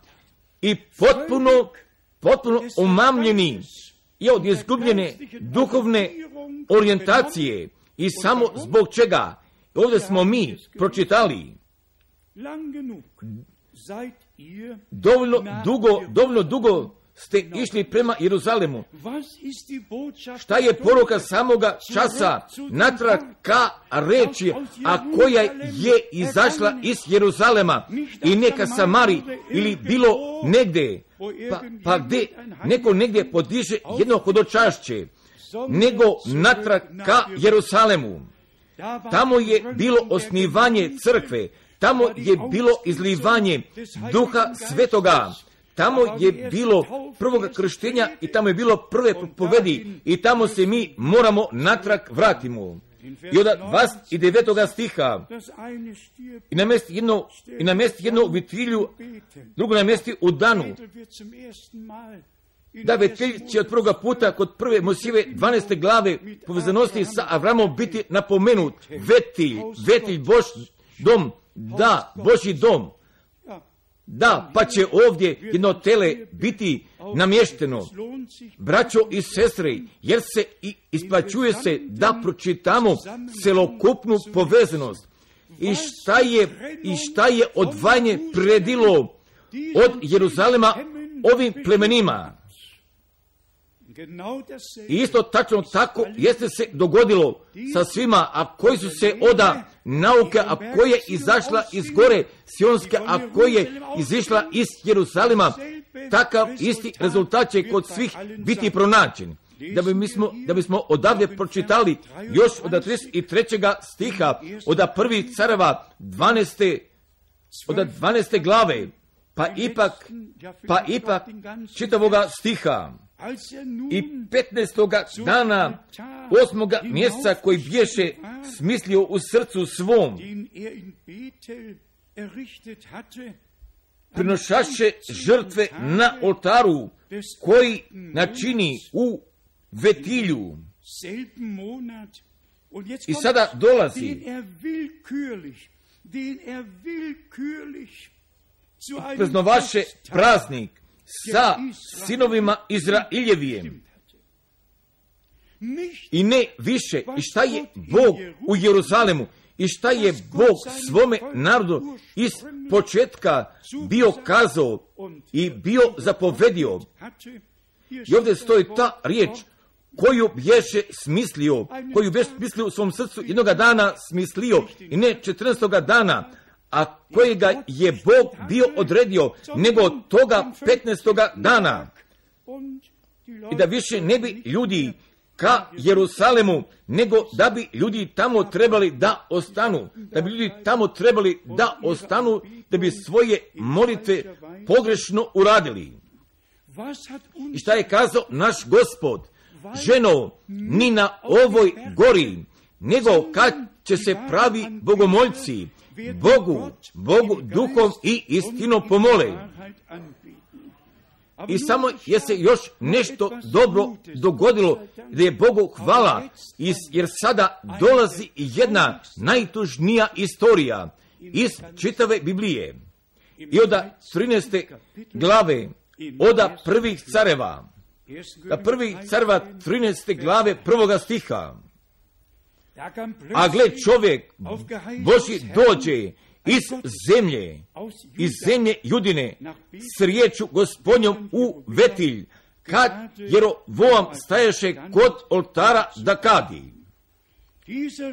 [SPEAKER 1] i potpuno omamljeni i od izgubljene duhovne orijentacije. I samo zbog čega? Ovdje smo mi pročitali dovoljno dugo ste išli prema Jeruzalemu. Šta je poruka samoga časa natrag ka reči, a koja je izašla iz Jeruzalema i neka Samari ili bilo negdje, pa gdje neko negdje podiže jedno hodočašće, nego natrag ka Jeruzalemu. Tamo je bilo osnivanje crkve, tamo je bilo izlivanje Duha Svetoga, tamo je bilo prvog krštenja i tamo je bilo prve propovedi i tamo se mi moramo natrag vratimo. I od 29. stiha i namjesti jedno vitrilju, drugo namjesti u danu. Da vitilj će od prvoga puta kod prve Mojsijeve 12. glave povezanosti sa Avramom biti napomenut. Vetilj Božji dom, da, Božji dom. Da, pa će ovdje jedno tele biti namješteno. Braćo i sestre, jer se i isplaćuje se da pročitamo celokupnu povezanost. I šta je odvajanje predilo od Jeruzalema ovim plemenima. I isto tačno tako jeste se dogodilo sa svima, a koji su se oda nauke, a koja je izašla iz gore Sionske, a koja je izišla iz Jeruzalema, takav isti rezultat će kod svih biti pronađen. Da bismo odavdje pročitali još od 33. stiha, od 1. Careva 12. glave, pa ipak čitavoga stiha. I 15. dana 8. mjeseca koji biješe smislio u srcu svom, prinošaše žrtve na oltaru koji načini u vetilju. I sada dolazi praznovaše praznik sa sinovima Izrailjevijem. I ne više, i šta je Bog u Jeruzalemu, i šta je Bog svome narodu iz početka bio kazao i bio zapovedio. I ovdje stoji ta riječ koju bješe smislio u svom srcu jednoga dana smislio, i ne 14. dana, a kojega je Bog bio odredio, nego toga 15. dana. I da više ne bi ljudi ka Jeruzalemu, nego da bi ljudi tamo trebali da ostanu. Da bi svoje molitve pogrešno uradili. I šta je kazao naš Gospod? Ženo, ni na ovoj gori, nego kad će se pravi bogomoljci Bogu duhom i istinom pomole. I samo je se još nešto dobro dogodilo, da je Bogu hvala, jer sada dolazi jedna najtužnija istorija iz čitave Biblije. I od 13. glave, od 1. Careva, 13. glave 1. stiha. A gle, čovjek Božji dođe iz zemlje Judine s riječu Gospodnjom u vetilj, kad Jerovoam staješe kod oltara da kadi.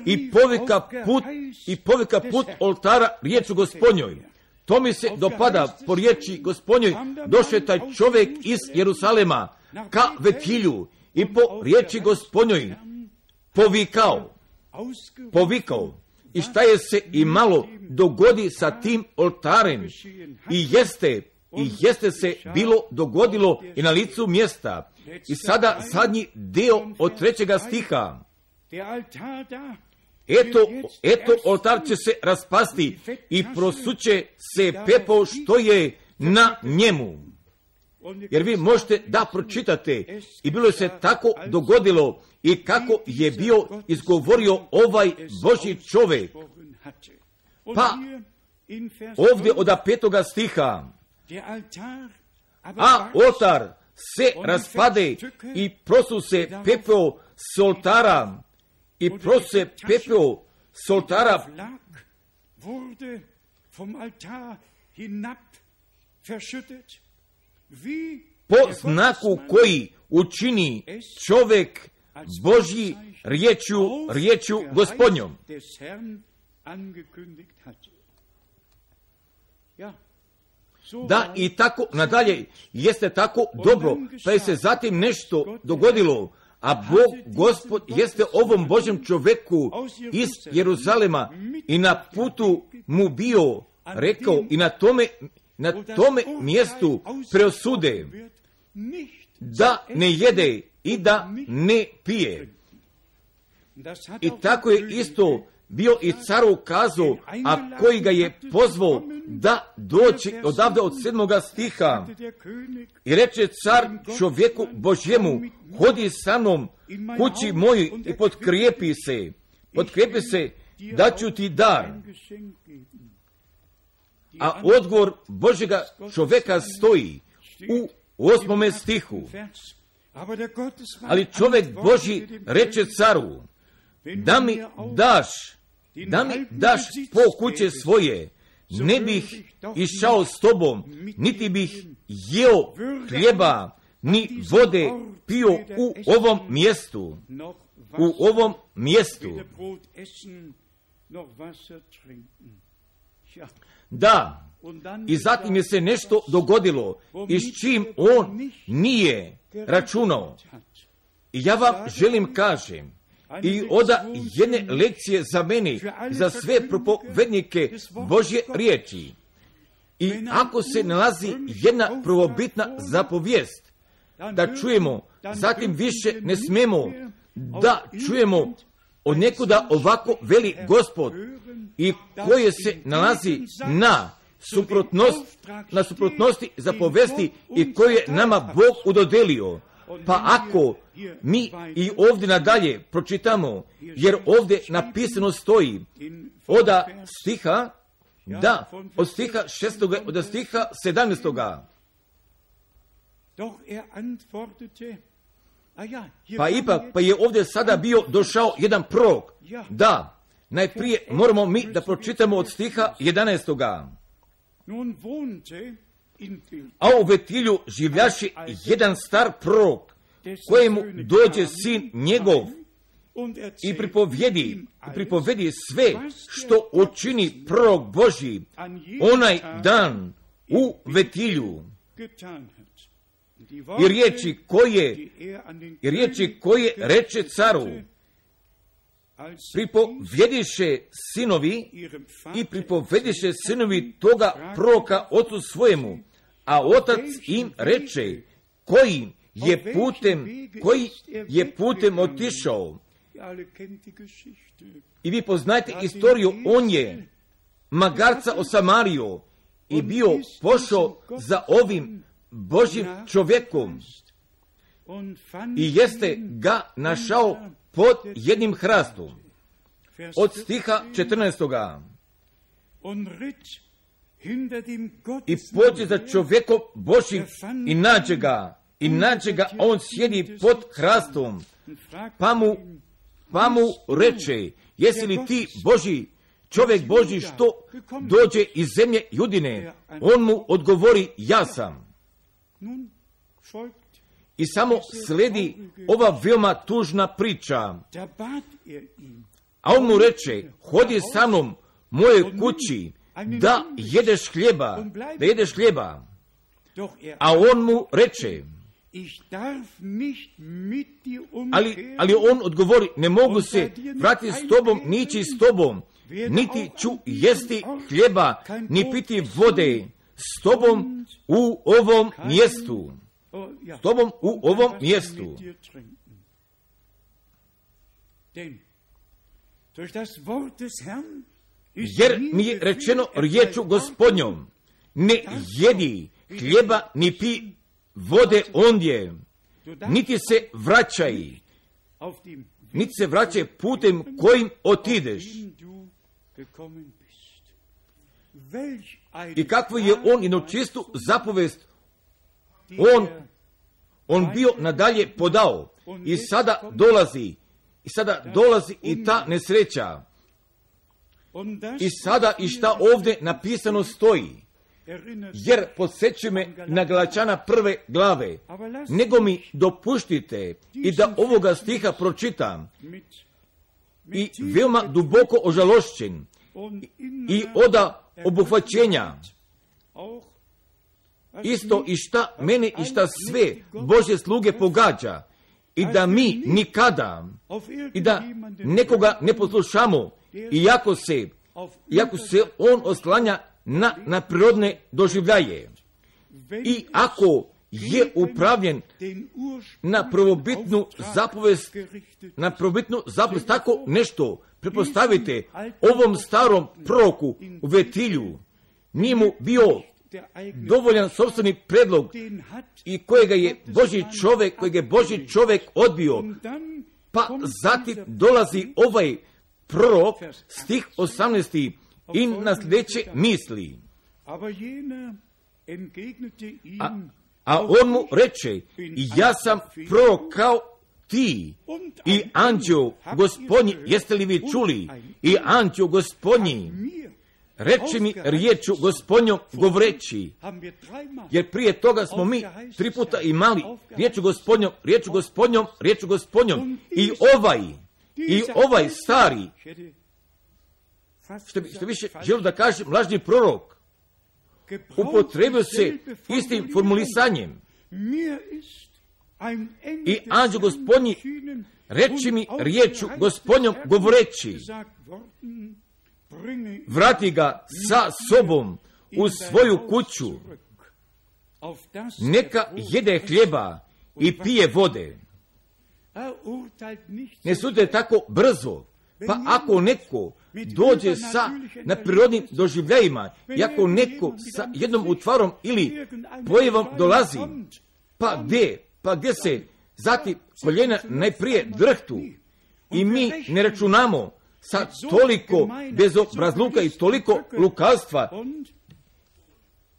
[SPEAKER 1] I povika put oltara riječu Gospodnjoj. To mi se dopada, po riječi Gospodnjoj došao taj čovjek iz Jeruzalema ka vetilju i po riječi Gospodnjoj povikao. I šta je se i malo dogodi sa tim oltarem? I jeste se bilo dogodilo i na licu mjesta. I sada zadnji dio od 3. stiha. Eto oltar će se raspasti i prosuće se pepeo što je na njemu. Jer vi možete da pročitate, i bilo je se tako dogodilo i kako je bio izgovorio ovaj Božji čovjek. Pa ovdje od 5. stiha, a oltar se raspade i prosu se pepeo s oltara, po znaku koji učini čovjek Božji riječju Gospodnjom. Da, i tako nadalje jeste tako dobro, pa je se zatim nešto dogodilo, a Bog, Gospod, jeste ovom Božjem čovjeku iz Jeruzalema i na putu mu bio rekao i na tome mjestu preosude da ne jede i da ne pije. I tako je isto bio i caru kazao, a koji ga je pozvao da doći odavde od 7. stiha. I reče car čovjeku Božjemu, hodi sa mnom kući moju i potkrijepi se, daću ti dar. A odgovor Božjega čovjeka stoji u 8. stihu. Ali čovjek Božji reče caru, da mi daš po kuće svoje, ne bih išao s tobom, niti bih jeo hljeba, ni vode pio u ovom mjestu. Da, i zatim je se nešto dogodilo i s čim on nije računao. I ja vam želim kažem, i oda jedne lekcije za mene, za sve propovednike Božje riječi. I ako se nalazi jedna prvobitna zapovijest, da čujemo, zatim više ne smemo da čujemo od nekuda ovako veli Gospod i koje se nalazi na suprotnosti zapovesti i koje je nama Bog udodelio. Pa ako mi i ovdje nadalje pročitamo, jer ovdje napisano stoji od stiha 6. od stiha 17. Pa je ovdje sada bio došao jedan prorok. Da, najprije moramo mi da pročitamo od stiha 11. A u Betilju življaši jedan star prorok, kojemu dođe sin njegov i pripovedi sve što učini prorok Božji onaj dan u Betilju. I riječi koje reče caru, pripovediše sinovi toga proroka ocu svojemu, a otac im reče, koji je putem otišao. I vi poznajete istoriju, on je magarca osamario i bio pošao za ovim Božjim čovjekom i jeste ga našao pod jednim hrastom. Od stiha 14. I pođe za čovjekom Božjim i nađe ga, on sjedi pod hrastom, pa mu reče, jesi li ti Božji, čovjek Božji što dođe iz zemlje Judine? On mu odgovori, ja sam. I samo sledi ova veoma tužna priča. A on mu reče, hodi sa mnom moje kući, da jedeš hljeba. A on mu reče, ali on odgovori, ne mogu se vratiti s tobom, nići s tobom, niti ću jesti hljeba, ni piti vode s tobom u ovom mjestu. Jer mi je rečeno riječu Gospodnjom, ne jedi hljeba ni pi vode ondje, niti se vraćaj putem kojim otideš. I kakvu je on jednočistu zapovest on bio nadalje podao. I sada dolazi i ta nesreća. I sada i šta ovdje napisano stoji. Jer podsjeća me na Galačana 1. glave. Nego mi dopuštite i da ovoga stiha pročitam. I veoma duboko ožalošćen. I oda obuhvaćenja. Isto i šta mene i šta sve Božje sluge pogađa. I da mi nikada i da nekoga ne poslušamo. Iako se on oslanja na prirodne doživljaje. I ako je upravljen na prvobitnu zapovest, tako nešto. Pretpostavite, ovom starom proroku u Vetilju nije mu bio dovoljan sopstveni predlog i kojega je Božji čovjek odbio. Pa zatim dolazi ovaj prorok, stih 18. i na sljedeće misli. A on mu reče, ja sam prorok kao ti i anđeo Gospodnji, jeste li vi čuli? I anđeo Gospodnji reče mi riječu Gospodnjom govoreći, jer prije toga smo mi 3 puta imali riječu Gospodnjom i ovaj stari, što više želim da kažem, lažni prorok, upotrebio se istim formulisanjem. I anđeo Gospodnji reči mi riječu Gospodnjom govoreći, vrati ga sa sobom u svoju kuću, neka jede hljeba i pije vode. Ne sudite tako brzo, pa ako neko dođe na prirodnim doživljajima, i ako neko sa jednom utvarom ili pojavom dolazi, pa gdje se zatim koljena najprije drhtu i mi ne računamo sa toliko bezobrazluka i toliko lukavstva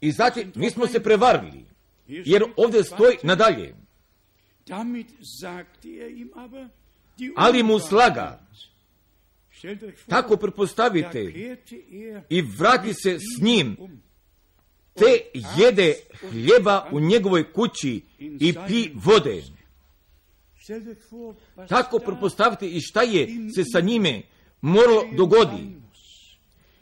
[SPEAKER 1] i zatim nismo se prevarili, jer ovdje stoji nadalje. Ali mu slaga, tako pretpostavite, i vrati se s njim, te jede hljeba u njegovoj kući i pi vode. Tako pretpostavite i šta je se sa njime moralo dogodi.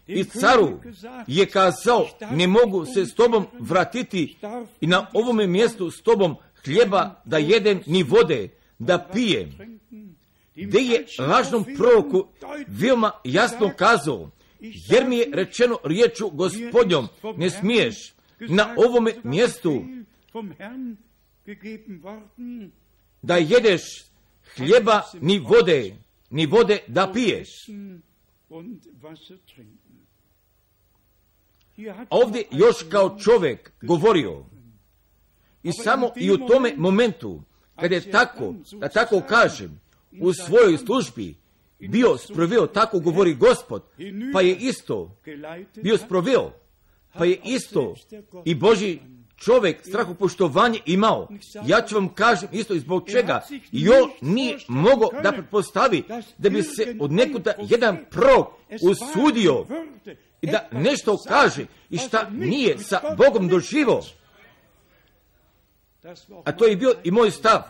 [SPEAKER 1] I caru je kazao, ne mogu se s tobom vratiti i na ovome mjestu s tobom hljeba da jedem ni vode da pijem. Gdje je lažnom proroku veoma jasno kazao, jer mi je rečeno riječu Gospodnjom, ne smiješ na ovome mjestu da jedeš hljeba ni vode da piješ. Ovdje još kao čovjek govorio i samo i u tome momentu kad je tako, da tako kažem, u svojoj službi bio sproveo, tako govori Gospod, pa je isto bio sproveo, pa je isto i Božji čovjek strahopoštovanje imao. Ja ću vam kažem isto i zbog čega. I on nije mogao da pretpostavi da bi se od nekuda jedan prorok usudio i da nešto kaže i šta nije sa Bogom doživio. A to je bio i moj stav.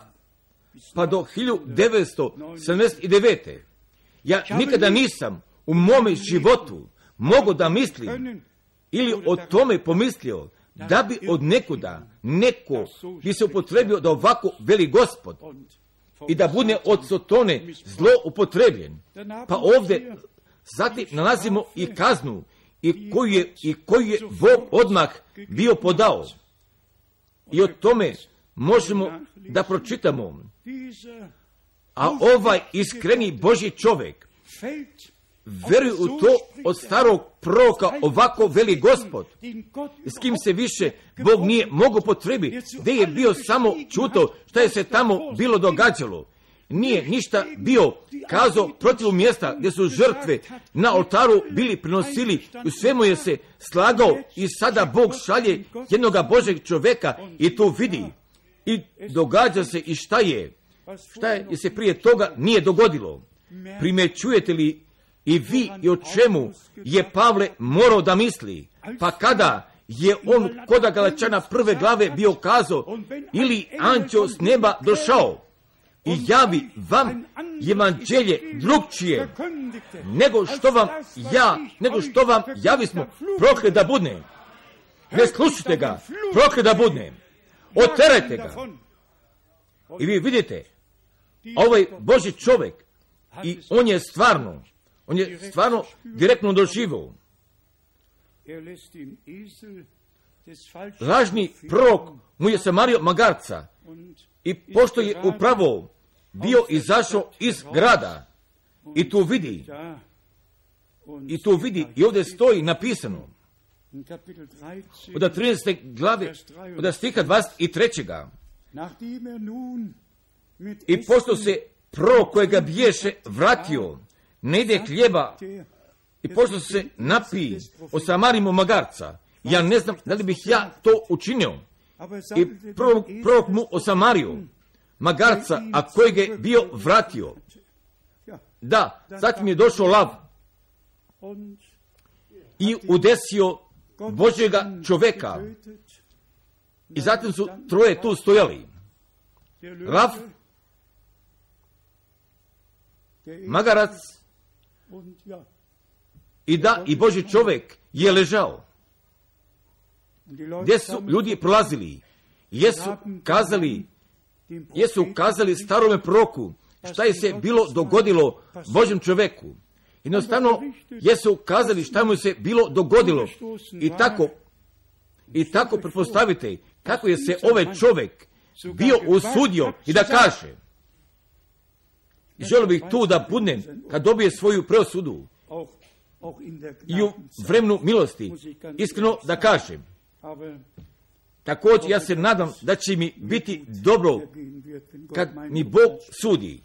[SPEAKER 1] Pa do 1979. Ja nikada nisam u mome životu mogao da mislim ili o tome pomislio da bi od nekuda neko bi se upotrebio da ovako veli Gospod i da bude od Sotone zlo upotrebljen. Pa ovdje zatim nalazimo i kaznu i koju je Bog odmah bio podao. I o tome možemo da pročitamo. A ovaj iskreni Božji čovjek veruje u to od starog proroka, ovako veli Gospod, s kim se više Bog nije mogao potrebiti, gdje je bio samo čuto šta je se tamo bilo događalo. Nije ništa bio kazao protiv mjesta gdje su žrtve na oltaru bili prinosili, u svemu je se slagao i sada Bog šalje jednoga Božeg čovjeka i to vidi. I događa se i šta je se prije toga nije dogodilo. Primjećujete li i vi i o čemu je Pavle morao da misli? Pa kada je on kod Galačana 1. glave bio kazao, ili anđeo s neba došao i javi vam evanđelje drugčije nego što vam javismo, proklet da budne. Ne slušajte ga, proklet da budne. Oterajte ga. I vi vidite, ovaj Božji čovjek, i on je stvarno direktno doživio. lažni prorok mu je samario magarca i pošto je upravo bio izašao iz grada i tu vidi i ovdje stoji napisano od 13. glave od stiha 23. I pošto se prorok kojega biješe vratio, ne ide hljeba, i pošto se napiji o Samarimu magarca, ja ne znam da li bih ja to učinio. I prorok mu o Samariju magarca, a kojeg je bio vratio. Da, zatim je došao lav i udesio Božjega čoveka. I zatim su troje tu stojali. Lav, magarac i Božji čovjek je ležao. Gdje su ljudi prolazili, jesu kazali starome proroku šta je se bilo dogodilo Božjem čovjeku. Jednostavno jesu kazali šta mu se bilo dogodilo. I tako pretpostavite kako je se ovaj čovjek bio usudio i da kaže. I želio bih tu da budnem kad dobije svoju preosudu i u vremenu milosti, iskreno da kažem. Također ja se nadam da će mi biti dobro kad mi Bog sudi.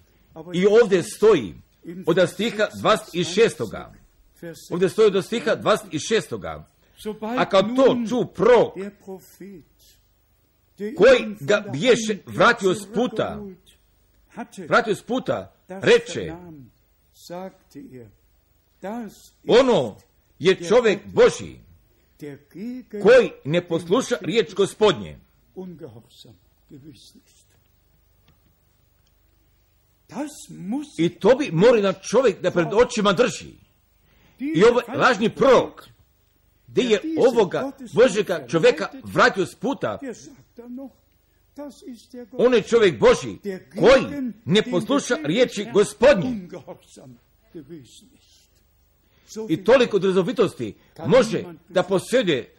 [SPEAKER 1] I ovdje stoji od stiha 26. Ovdje stoji od stiha 26. A kad to ču prorok koji ga biješe vratio s puta, reče, ono je čovjek Božji koji ne posluša riječ Gospodnje. I to bi morao na čovjek da pred očima drži. I ovaj lažni prorok, gdje je ovoga Božjega čovjeka vratio s puta, on je čovjek Božji koji ne posluša riječi Gospodnje. I toliko drzovitosti može da posjeduje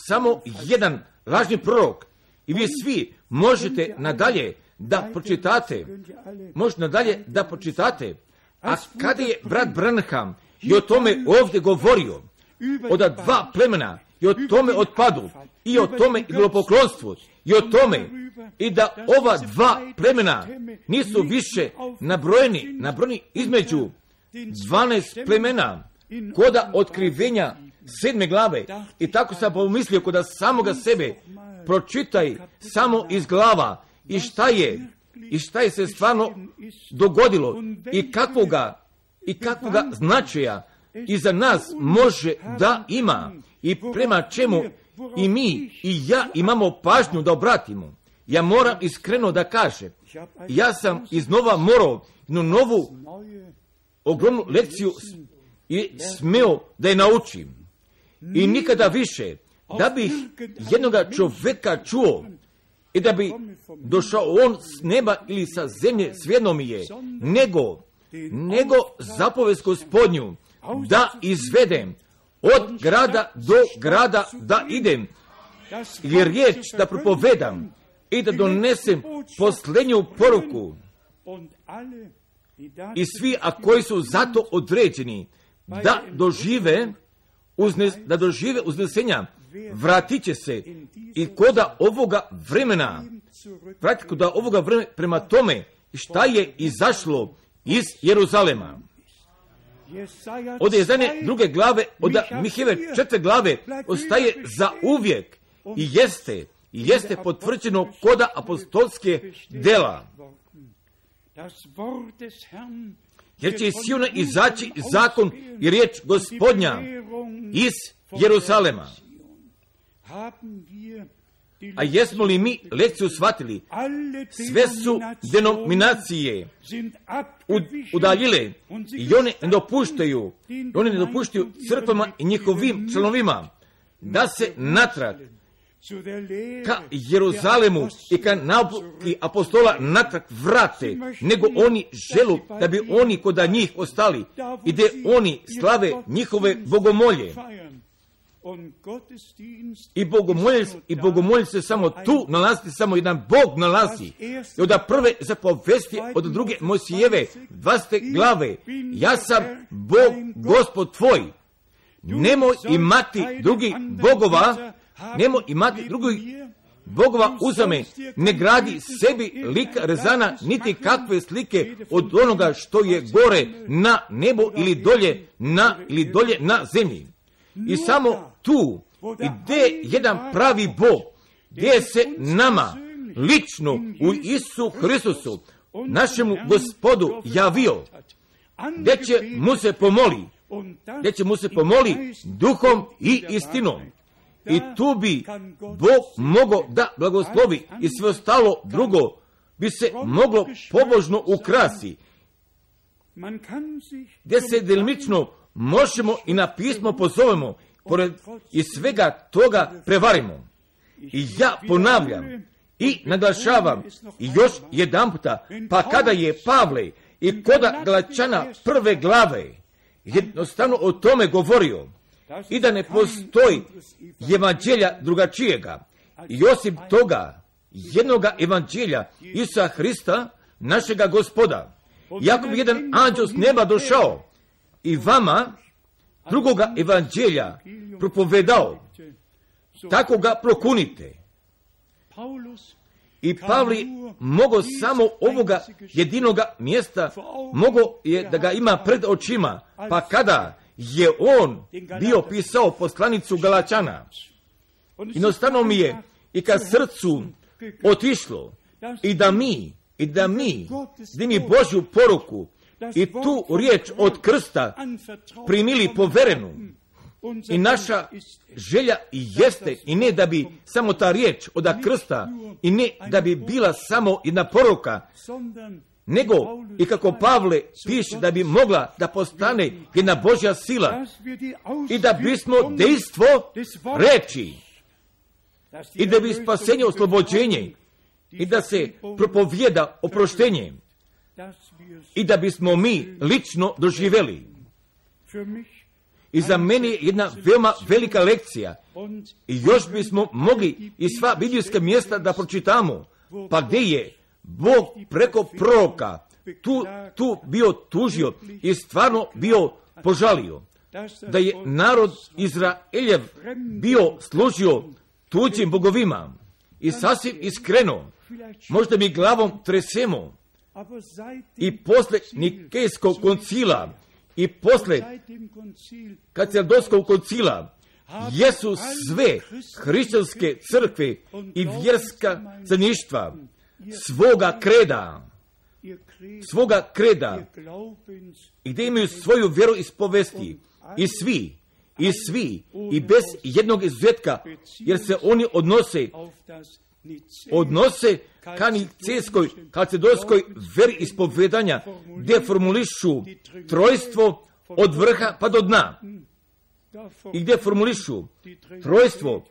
[SPEAKER 1] samo jedan lažni prorok. I vi svi možete nadalje da pročitate. A kada je brat Branham i o tome ovdje govorio, od dva plemena, i o tome otpadu, i o tome idolopoklonstvu, i o tome, i da ova dva plemena nisu više nabrojeni između 12 plemena, koda otkrivenja 7. glave. I tako sam pomislio koda samoga sebe pročitaj samo iz glava i šta je se stvarno dogodilo i kakvoga značaja i za nas može da ima i prema čemu i mi i ja imamo pažnju da obratimo. Ja moram iskreno da kažem, ja sam iznova morao jednu novu ogromnu lekciju i smeo da je naučim. I nikada više da bih jednoga čovjeka čuo i da bi došao on s neba ili sa zemlje, svejedno mi je, nego zapovest Gospodnju da izvedem od grada do grada da idem i riječ da propovedam i da donesem posljednju poruku. I svi, a koji su zato određeni da dožive uznesenja, vratit će se i koda ovoga vremena prema tome šta je izašlo iz Jeruzalema. Od Jezanje 2. glave, od Mihajeve 4. glave ostaje za uvijek i jeste potvrđeno koda apostolske dela. Jer će iz Siona izaći zakon i riječ Gospodnja iz Jeruzalema. A jesmo li mi lekciju shvatili? Sve su denominacije udaljile i one ne dopuštaju crkvama i njihovim članovima da se natrag ka Jeruzalemu i ka nauki apostola natrag vrate, nego oni želu da bi oni koda njih ostali i gdje oni slave njihove bogomolje. i bogomolje se samo tu nalazi, samo jedan Bog nalazi. I od prve zapovesti od druge Mojsijeve 20. glave, ja sam Bog, Gospod tvoj. Nemoj imati drugih bogova, nemoj imati drugih bogova uzame, ne gradi sebi lika rezana, niti kakve slike od onoga što je gore na nebo ili dolje na zemlji. I samo tu, gdje je jedan pravi Bog, gdje se nama lično u Isusu Hristusu, našemu Gospodu javio, gdje će mu se pomoli duhom i istinom. I tu bi Bog mogao da blagoslovi i sve ostalo drugo bi se moglo pobožno ukrasi. Gdje se delimično možemo i na pismo pozovemo, pored i svega toga prevarimo. I ja ponavljam i naglašavam i još jedan puta, pa kada je Pavle i koda Galačana 1. glave jednostavno o tome govorio, i da ne postoji evanđelja drugačijega. I osim toga, jednoga evanđelja Isusa Hrista, našega Gospoda. Iako bi jedan anđel s neba došao i vama drugoga evanđelja propovedao, tako ga prokunite. I Pavli mogao samo ovoga jedinoga mjesta, mogao je da ga ima pred očima, pa kada je on bio pisao poslanicu Galačana. Jednostavno mi je i kad srcu otišlo i da mi Božju poruku i tu riječ od krsta primili poverenu. I naša želja jeste i ne da bi samo ta riječ od krsta i ne da bi bila samo jedna poruka, nego i kako Pavle piše da bi mogla da postane jedna Božja sila i da bismo dejstvo reči i da bi spasenje oslobođenje i da se propovijeda oproštenje i da bismo mi lično doživjeli. I za mene je jedna veoma velika lekcija i još bismo mogli i sva biblijska mjesta da pročitamo, pa gdje je Bog preko proroka tu bio tužio i stvarno bio požalio, da je narod Izraeljev bio služio tuđim bogovima i sasvim iskreno, možda mi glavom tresemo i posle Nikejskog koncila i posle Kalcedonskog koncila jesu sve hrišćanske crkve i vjerska zajedništva svoga kreda i gdje imaju svoju vjeru ispovesti i svi i bez jednog izuzetka, jer se oni odnose ka Nicejskoj kalcedonskoj veri ispovedanja, gdje formulišu trojstvo od vrha pa do dna i gdje formulišu trojstvo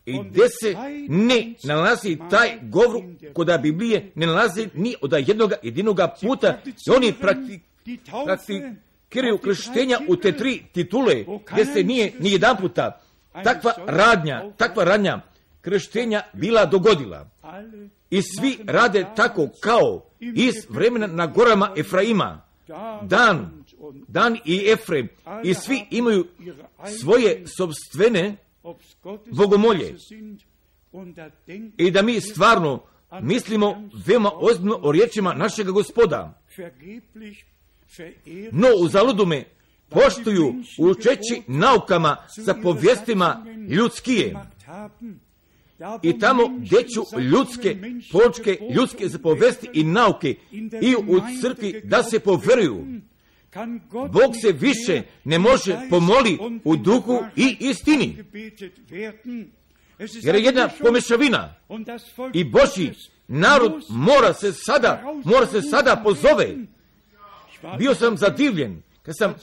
[SPEAKER 1] i gdje se ne nalazi taj govor kod Biblije, ne nalazi ni od jedinoga puta i oni praktikiraju krštenja u te 3 titule, gdje se nije ni jedan puta takva radnja krštenja bila dogodila. I svi rade tako kao iz vremena na gorama Efraima, Dan i Efrem, i svi imaju svoje sopstvene bogomolje. I da mi stvarno mislimo veoma ozbiljno o riječima našega Gospoda. No uzaludu me poštuju učeći naukama za povijestima ljudskije. I tamo gdje ću ljudske zapovesti i nauke i u crkvi da se poveruju, Bog se više ne može pomoli u duhu i istini. Jer je jedna pomešavina i Božji narod mora se sada pozove. Bio sam zadivljen kad sam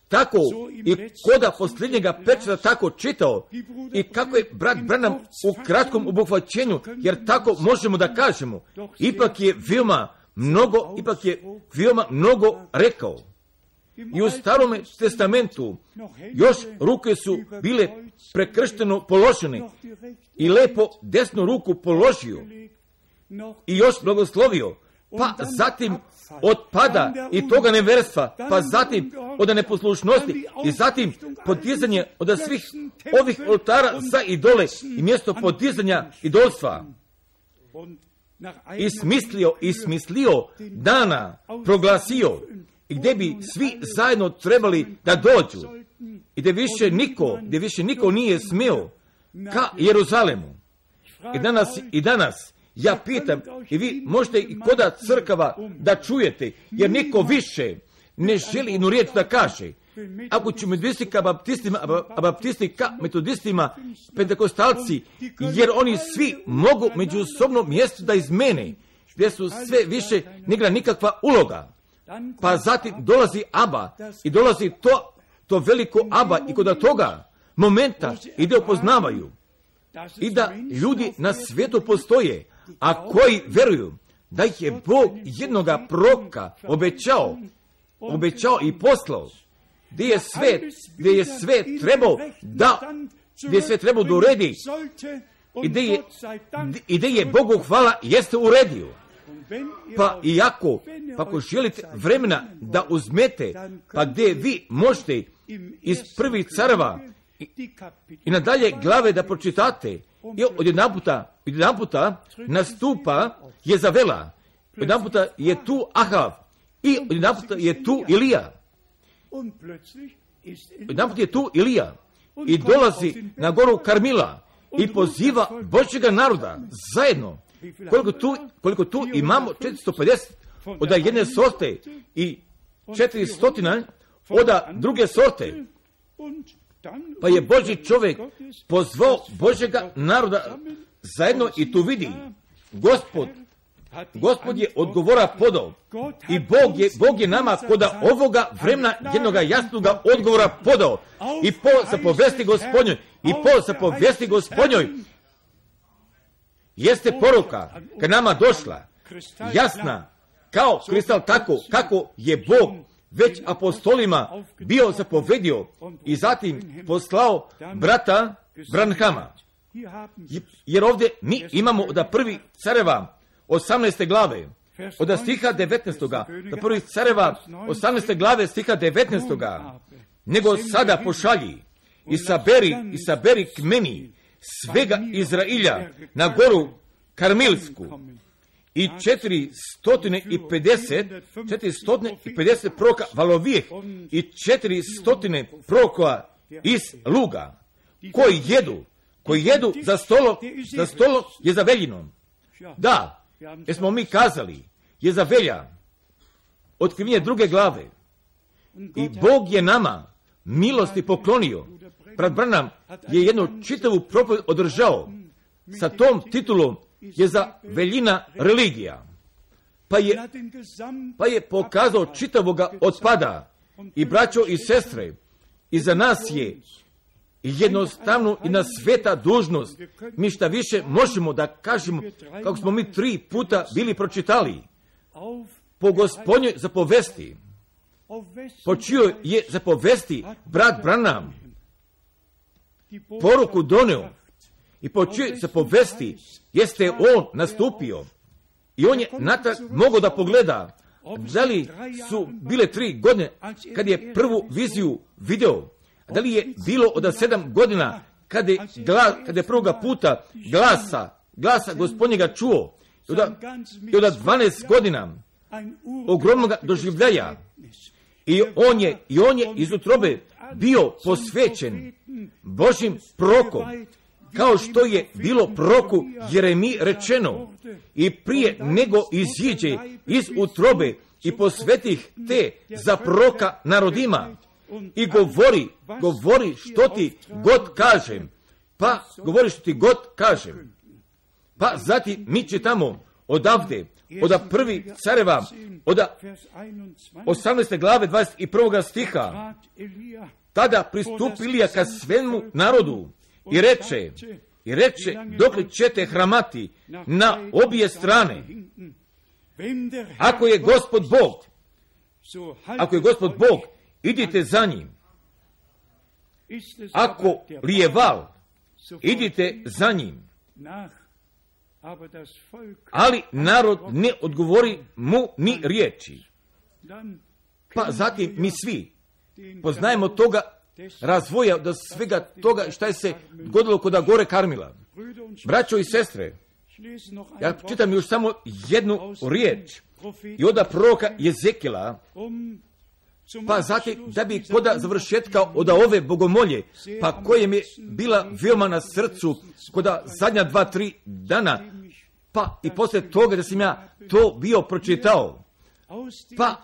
[SPEAKER 1] tako i koda posljednjega pečata tako čitao i kako je brat Branham u kratkom obuhvaćenju, jer tako možemo da kažemo, ipak je veoma mnogo rekao. I u Starome testamentu još ruke su bile prekršteno položene i lepo desnu ruku položio i još blagoslovio, pa zatim od pada i toga neverstva, pa zatim od neposlušnosti i zatim podizanje od svih ovih oltara za idole i mjesto podizanja idolstva. I smislio dana, proglasio, i gdje bi svi zajedno trebali da dođu i gdje više niko nije smio ka Jeruzalemu. I danas ja pitam, i vi možete i koda crkava da čujete, jer niko više ne želi jednu riječ da kaže. Ako ću metodisti ka baptistima, a baptisti ka metodistima, pentekostalci, jer oni svi mogu međusobno mjesto da izmene, gdje su sve više ne igra nikakva uloga. Pa zatim dolazi Aba i dolazi to veliko Aba i kod toga momenta ide upoznavaju i da ljudi na svijetu postoje, a koji veruju da ih je Bog jednoga proroka obećao i poslao, gdje je sve trebao da uredi i gdje je Bogu hvala jeste uredio. Pa ako želite vremena da uzmete, pa gdje vi možete iz prvih careva i nadalje glave da pročitate, i odjedanputa nastupa Jezavela, odjedanputa je tu Ahav i odjedanputa je tu Ilija. Odjedanput je tu Ilija i dolazi na goru Karmila i poziva Božjega naroda zajedno. Koliko tu imamo 450 od jedne sorte i 400 od druge sorte. Pa je Božji čovjek pozvao Božjega naroda zajedno i tu vidi Gospod je odgovora podao i Bog je nama koda ovoga vremena jednoga jasnoga odgovora podao i po zapovesti Gospodnjoj jeste poruka ka nama došla, jasna kao kristal, tako kako je Bog već apostolima bio zapovedio i zatim poslao brata Branhama. Jer ovdje mi imamo od prvih careva 18. glave, od stiha 19. do prvih careva 18. glave stiha 19. Nego sada pošalji i saberi k meni svega Izrailja na goru Karmilsku i 450 proroka Valovijeh i 400 proroka iz Luga koji jedu za stolo Jezaveljinom. Da, jesmo mi kazali Jezavelja, otkrivenje 2. glave. I Bog je nama milosti poklonio. Brat Branham je jednu čitavu propoved održao sa tom titulom Jezaveljina religija. Pa je pokazao čitavoga otpada. I braćo i sestre, i za nas je jednostavno i na sveta dužnost. Mi šta više možemo da kažemo, kako smo mi 3 puta bili pročitali, po Gospodnjoj zapovesti, po čijoj je zapovesti brat Branham poruku donio i po čijoj zapovesti jeste on nastupio i on je natrag mogao da pogleda da li su bile 3 godine kad je prvu viziju video, da li je bilo od 7 godina kad je prvoga puta glasa Gospodnjega čuo i od 12 godina ogromnog doživljaja i on je iz utrobe bio posvećen Božim prorokom, kao što je bilo proroku Jeremiji rečeno, i prije nego iziđe iz utrobe i posvetih te za proroka narodima i govori što ti god kažem, pa zatim mi čitamo odavde od prvih careva od 18. glave 21. stiha. Tada pristupi Ilija ka svemu narodu i reče dokle ćete hramati na obje strane. Ako je Gospod Bog, idite za njim. Ako li je val, idite za njim. Ali narod ne odgovori mu ni riječi. Pa zatim mi svi poznajemo toga razvoja do svega toga šta je se dogodilo kod gore Karmila. Braćo i sestre, ja čitam još samo jednu riječ i od proroka Jezekila, pa zatim da bi kod završetka od ove bogomolje, pa koje mi je bila veoma na srcu kod zadnja 2-3 dana, pa i poslije toga da sam ja to bio pročitao, pa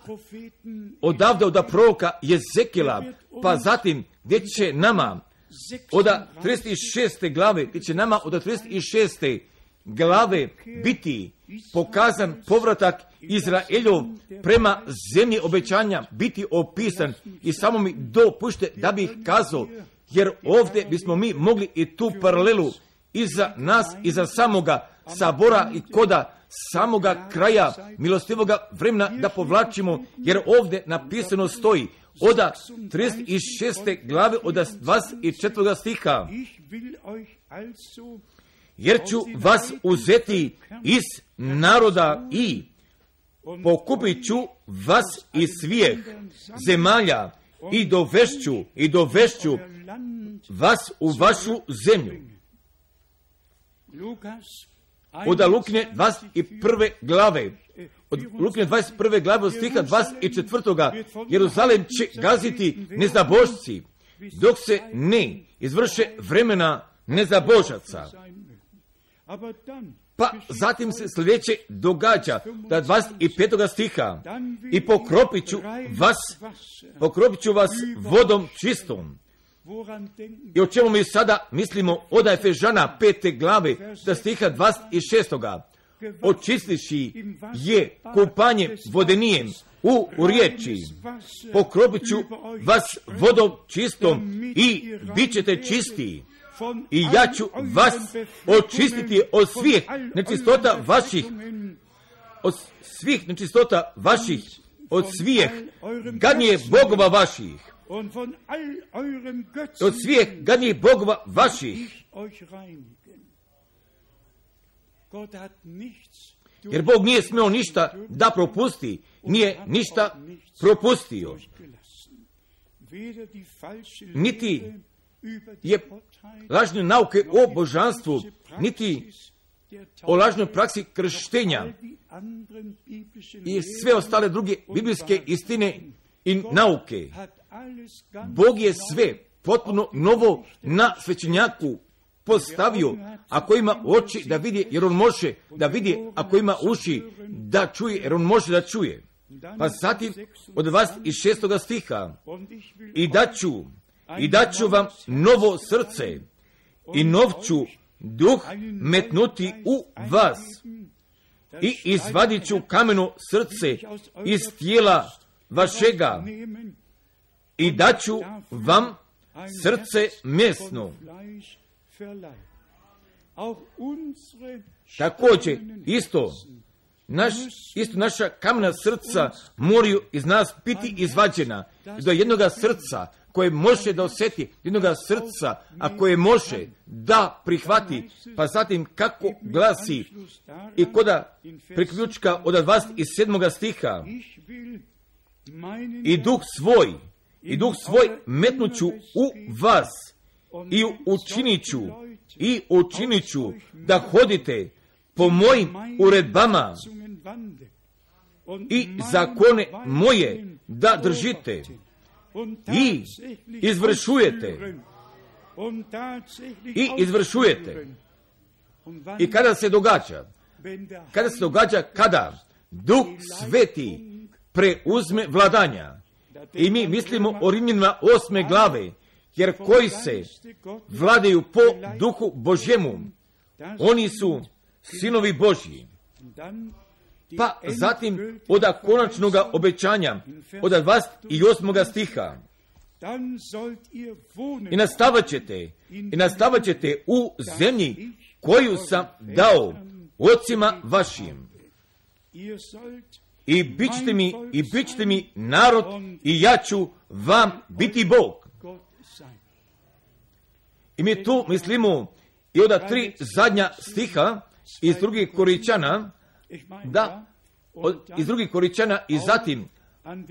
[SPEAKER 1] odavde od proroka Jezekila, pa zatim gdje će nama od 36. glave, gdje će nama od 36. glave biti pokazan povratak Izraeljov prema zemlji obećanja, biti opisan. I samo mi dopušte da bih kazao, jer ovdje bismo mi mogli i tu paralelu iza nas, iza samoga sabora i koda samoga kraja milostivoga vremena da povlačimo, jer ovdje napisano stoji od 36. glave od 24. stiha. Jer ću vas uzeti iz naroda i pokupit ću vas iz svih zemalja i dovešću vas u vašu zemlju. Od Lukine 21. glave, od Lukine 21. glave od stiha 24. Jeruzalem će gaziti nezabožci, dok se ne izvrše vremena nezabožaca. Pa zatim se sljedeće događa, da 25. stiha, i pokropit ću vas vodom čistom. I o čemu mi sada mislimo od Efežana 5. glave, da stiha 26. Očistiši je kupanje vodenijem u riječi. Pokropit ću vas vodom čistom i bit ćete čistiji. I ja ću vas očistiti od svih nečistota vaših, od svih gadnije bogova vaših, od svih gadnijih bogova vaših. Jer Bog nije smeo ništa da propusti, nije ništa propustio. Niti je lažne nauke o božanstvu, niti o lažnoj praksi krštenja i sve ostale druge biblijske istine i nauke. Bog je sve potpuno novo na svećenjaku postavio. Ako ima oči da vidi, jer on može da vidi, ako ima uši da čuje, jer on može da čuje. Pa zatim od 26. stiha, i daću vam novo srce i nov ću duh metnuti u vas i izvadit ću kameno srce iz tijela vašega i daću vam srce mesno. Također isto naša kamena srca moraju iz nas biti izvađena do jednoga srca koje može da osjeti, jednoga srca, a koje može da prihvati, pa zatim kako glasi i koda priključka od 27. stiha, i duh svoj metnuću u vas i učinit ću da hodite po mojim uredbama i zakone moje da držite i izvršujete. I kada se događa, kada Duh Sveti preuzme vladanja, i mi mislimo o Rimljanima 8. glave, jer koji se vladaju po Duhu Božjemu, oni su sinovi Božji. Pa zatim od konačnog obećanja, od 28. stiha, i nastavat ćete u zemlji koju sam dao ocima vašim. I bit ćete mi narod i ja ću vam biti Bog. I mi tu mislimo i od 3 zadnja stiha iz 2. Korinćana, iz 2. Korinćana i zatim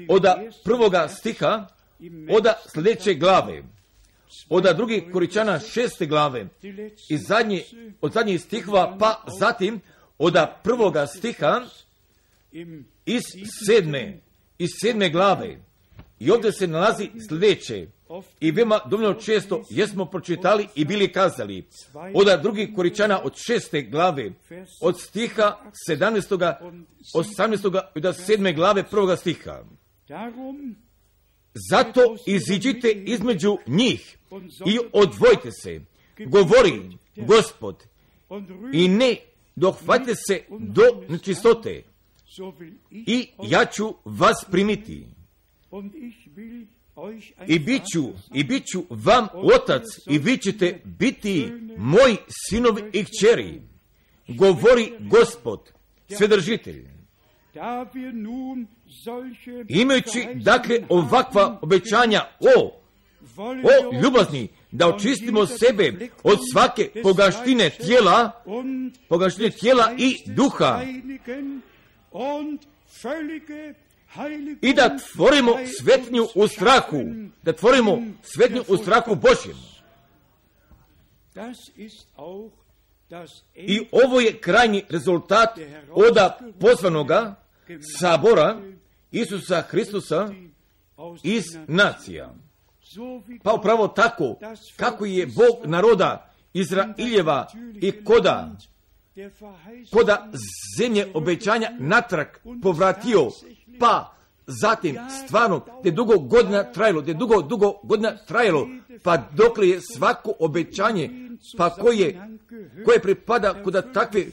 [SPEAKER 1] od 1. stiha od sljedeće glave, od 2. Korinćana 6. glave od zadnjih stihova, pa zatim od 1. stiha iz 7. glave. I ovdje se nalazi sljedeće. I veoma dovoljno često jesmo pročitali i bili kazali od 2. Korinćana od 6. glave, od stiha 17., 18. i od 7. glave 1. stiha. Zato iziđite između njih i odvojite se, govori Gospod, i ne dohvatite se do nečistote, i ja ću vas primiti. I bit ću vam otac, i vi ćete biti moji sinovi i kćeri, govori Gospod, Svedržitelj. Imajući dakle ovakva obećanja, o ljubazni, da očistimo sebe od svake pogaštine tijela i duha, i da tvorimo svetnju u strahu Božjem. I ovo je krajnji rezultat od pozvanoga sabora Isusa Hristusa iz nacija. Pa upravo tako, kako je Bog naroda Izraeljeva i koda zemlje obećanja natrag povratio, pa zatim stvarno, te dugo godina trajalo, pa dokle je svako obećanje, pa koje pripada kod takve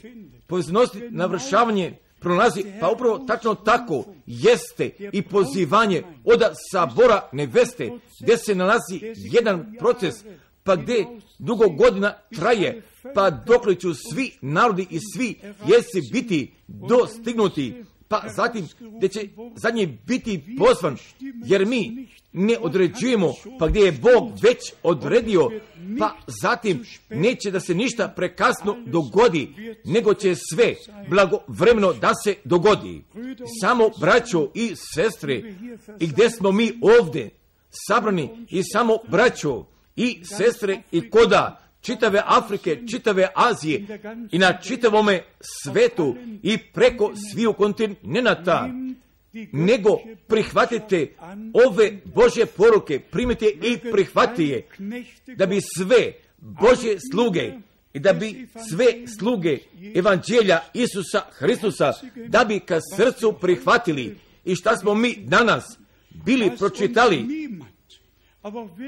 [SPEAKER 1] poveznosti navršavanje prolazi, pa upravo tačno tako jeste i pozivanje od sabora neveste, gdje se nalazi jedan proces, pa gdje dugo godina traje, pa dokle ću svi narodi i svi jesi biti dostignuti, pa zatim gdje će zadnji biti pozvan, jer mi ne određujemo, pa gdje je Bog već odredio, pa zatim neće da se ništa prekasno dogodi, nego će sve blagovremeno da se dogodi. Samo braćo i sestre, i gdje smo mi ovdje sabrani, i samo braćo i sestre i koda čitave Afrike, čitave Azije i na čitavome svetu i preko sviju kontinenata, nego prihvatite ove Božje poruke, primite i prihvatite, da bi sve Božje sluge i da bi sve sluge evanđelja Isusa Hristusa, da bi ka srcu prihvatili. I šta smo mi danas bili pročitali,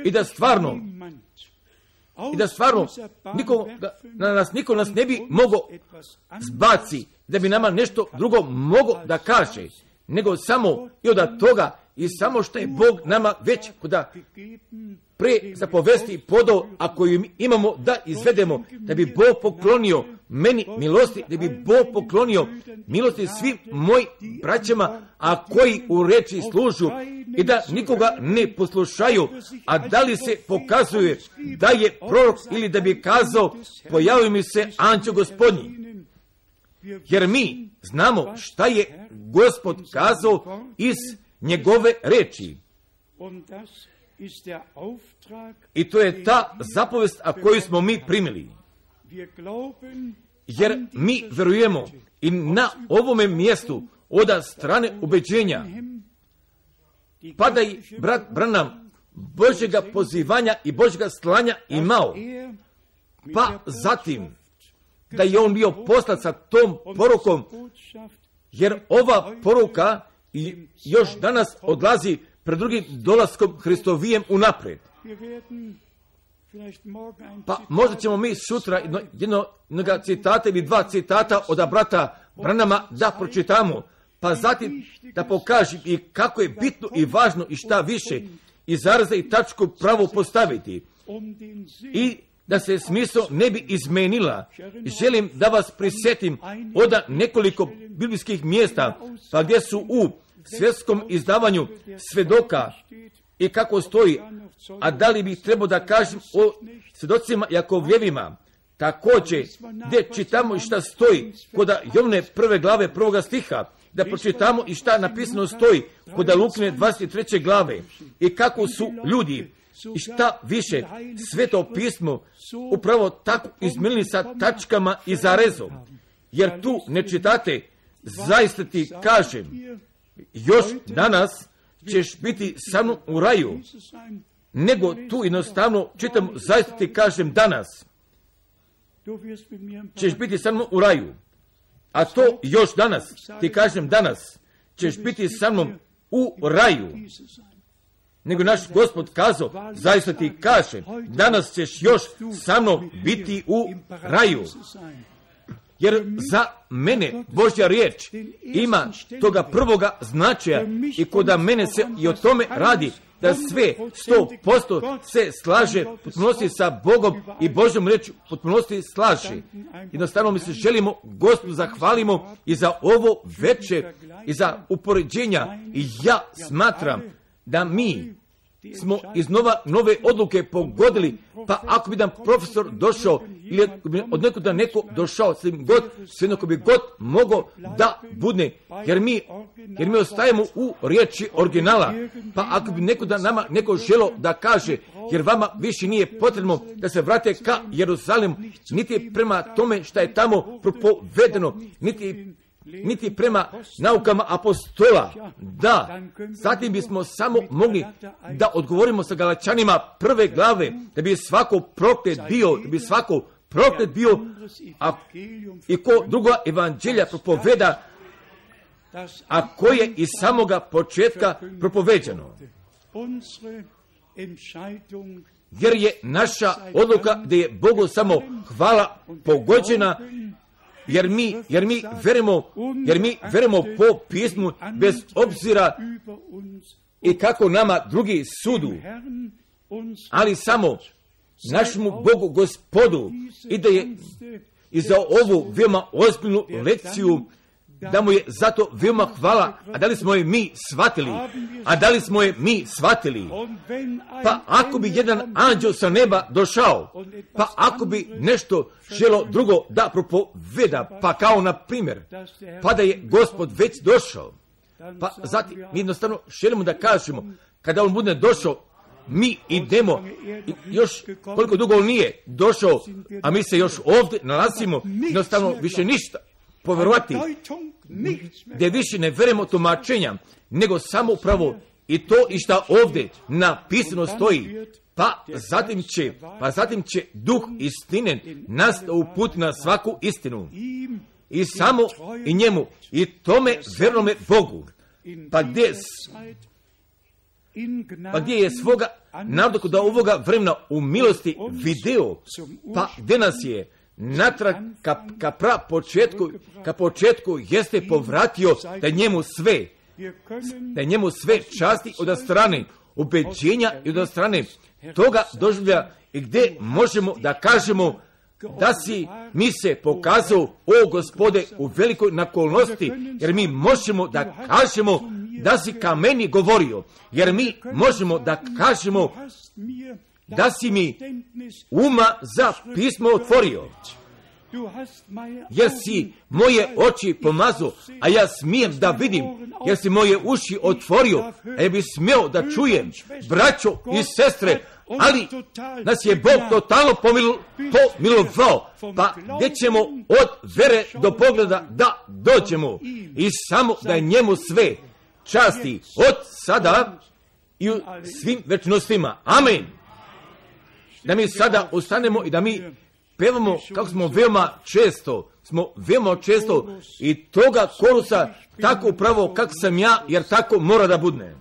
[SPEAKER 1] i da stvarno niko nas ne bi mogao zbaci, da bi nama nešto drugo mogao da kaže, nego samo i od toga, i samo što je Bog nama već kuda pre zapovesti podao, ako imamo da izvedemo, da bi Bog poklonio meni milosti, da bi Bog poklonio milosti svim mojim braćama, a koji u reči služu, i da nikoga ne poslušaju, a da li se pokazuje da je prorok, ili da bi kazao pojavio mi se anđeo Gospodnji. Jer mi znamo šta je Gospod kazao iz njegove reči. I to je ta zapovest koju smo mi primili. Jer mi verujemo i na ovome mjestu od strane ubeđenja pada i brat Branham Božjega pozivanja i Božjega slanja imao. Pa zatim da je on bio poslat sa tom porukom, jer ova poruka još danas odlazi pred drugim dolaskom Hristovijem unapred. Pa možda ćemo mi sutra jednog citata ili 2 citata od brata Branhama da pročitamo, pa zatim da pokažem i kako je bitno i važno i šta više i zaraza i tačku pravo postaviti, i da se smisao ne bi izmenila. Želim da vas prisjetim od nekoliko biblijskih mjesta, pa gdje su u svjetskom izdavanju svedoka i kako stoji, a da li bih trebao da kažem o svjedocima Jakovljevima, također gdje čitamo i šta stoji kod Jovne 1. glave 1. stiha, da pročitamo i šta napisano stoji kod Lukine 23. glave i kako su ljudi i šta više Sveto pismo upravo tako izmijenili sa tačkama i zarezom. Jer tu ne čitate, zaista ti kažem, još danas ćeš biti sa mnom u raju, nego tu jednostavno čitam, zaista ti kažem danas ćeš biti sa mnom u raju. A to još danas, ti kažem danas, ćeš biti sa mnom u raju. Nego naš Gospod kazao, zaista ti kažem, danas ćeš još sa mnom biti u raju. Jer za mene Božja riječ ima toga prvoga značaja i kod mene se i o tome radi, da sve 100% se slaže, potpunosti sa Bogom i Božjom riječi potpunosti slaže. Jednostavno mi se želimo Gospodu zahvalimo i za ovo večer i za upoređenja i ja smatram da mi smo iz nove odluke pogodili, pa ako bi nam profesor došao ili od nekuda neko došao, sve ko bi god mogao da budne, jer mi ostajemo u riječi originala, pa ako bi nekuda nama neko želo da kaže, jer vama više nije potrebno da se vrate ka Jeruzalemu, niti prema tome što je tamo propovedeno, niti prema naukama apostola. Da, zatim bismo samo mogli da odgovorimo sa Galačanima 1. glave, da bi svako proklet bio, a i ko druga evanđelja propoveda, a koje je iz samoga početka propoveđeno. Jer je naša odluka da je Bogu samo hvala pogođena, jer mi verujemo po pismu bez obzira i kako nama drugi sudu, ali samo našemu Bogu Gospodu i da je i za ovu veoma ozbiljnu lekciju, da mu je zato veoma hvala. A da li smo je mi shvatili? Pa ako bi jedan anđel sa neba došao, pa ako bi nešto želo drugo da propoveda, pa kao na primjer, pa da je Gospod već došao, pa zatim mi jednostavno želimo da kažemo, kada on bude došao, mi idemo, još koliko dugo on nije došao, a mi se još ovdje nalazimo, jednostavno više ništa povjerovati, gdje više ne verujemo tumačenja, nego samo upravo i to i šta ovdje napisano stoji. Pa zatim će duh istine nas uputi na svaku istinu. I samo i njemu, i tome vernome Bogu. Pa gdje je svoga naroda do ovoga vremena u milosti video, pa gdje nas je natrag ka početku jeste povratio da njemu sve časti od strane ubeđenja i od strane toga doživlja, i gdje možemo da kažemo da si mi se pokazao, o Gospode, u velikoj nakolnosti, jer mi možemo da kažemo da si ka meni govorio, jer mi možemo da kažemo da si mi uma za pismo otvorio, jer si moje oči pomazao, a ja smijem da vidim, jer si moje uši otvorio, a ja bi smio da čujem, braćo i sestre, ali nas je Bog totalno pomilovao, pa gdje ćemo od vere do pogleda da dođemo, i samo da je njemu sve časti od sada i u svim večnostima. Amen. Da mi sada ustanemo i da mi pevamo kako smo veoma često i toga korusa tako upravo kako sam ja, jer tako mora da budne.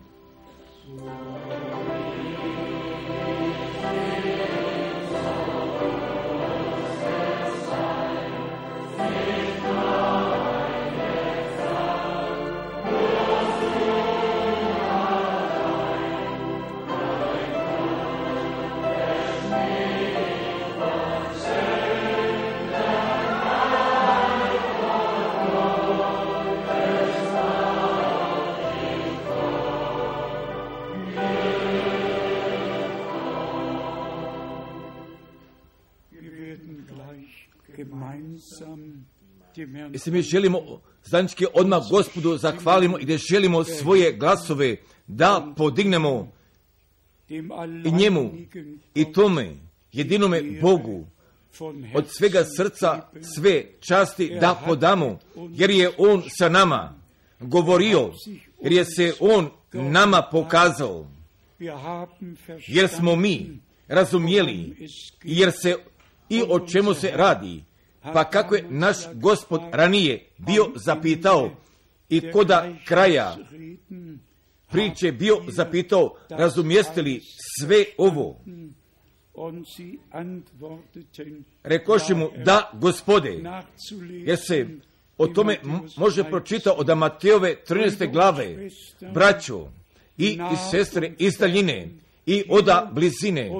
[SPEAKER 1] I se mi želimo zajednički odmah Gospodu zahvalimo i da želimo svoje glasove da podignemo i njemu i tome jedinome Bogu od svega srca sve časti da podamo, jer je On sa nama govorio, jer je se On nama pokazao, jer smo mi razumjeli, jer se i o čemu se radi, pa kako je naš Gospod ranije bio zapitao i koda kraja priče bio zapitao, razumijeste li sve ovo? Rekoši mu, da, Gospode, jer se o tome može pročitati od Matejove 13. glave, braćo i sestre iz daljine i oda blizine,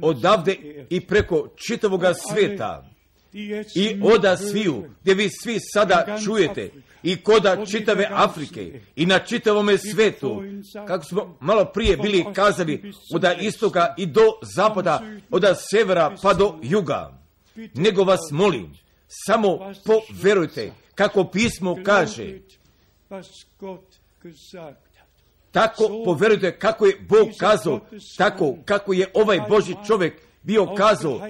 [SPEAKER 1] odavde i preko čitavoga svijeta i oda sviju, gdje vi svi sada čujete, i koda čitave Afrike i na čitavome svijetu, kako smo malo prije bili kazali, od istoka i do zapada, od severa pa do juga. Nego vas molim, samo poverujte kako pismo kaže, tako poverujte kako je Bog kazao, tako kako je ovaj Božji čovjek bio kazao,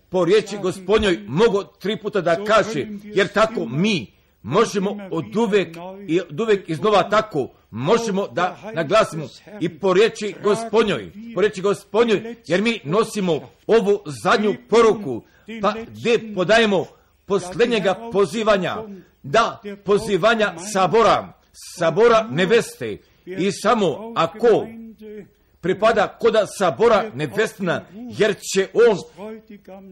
[SPEAKER 1] po riječi Gospodnjoj mogu 3 puta da kaže, jer tako mi možemo od uvek iznova tako, možemo da naglasimo i po riječi Gospodnjoj, jer mi nosimo ovu zadnju poruku, pa gdje podajemo posljednjega pozivanja, da pozivanja sabora neveste, i samo ako pripada koda sabora nevestina, jer će on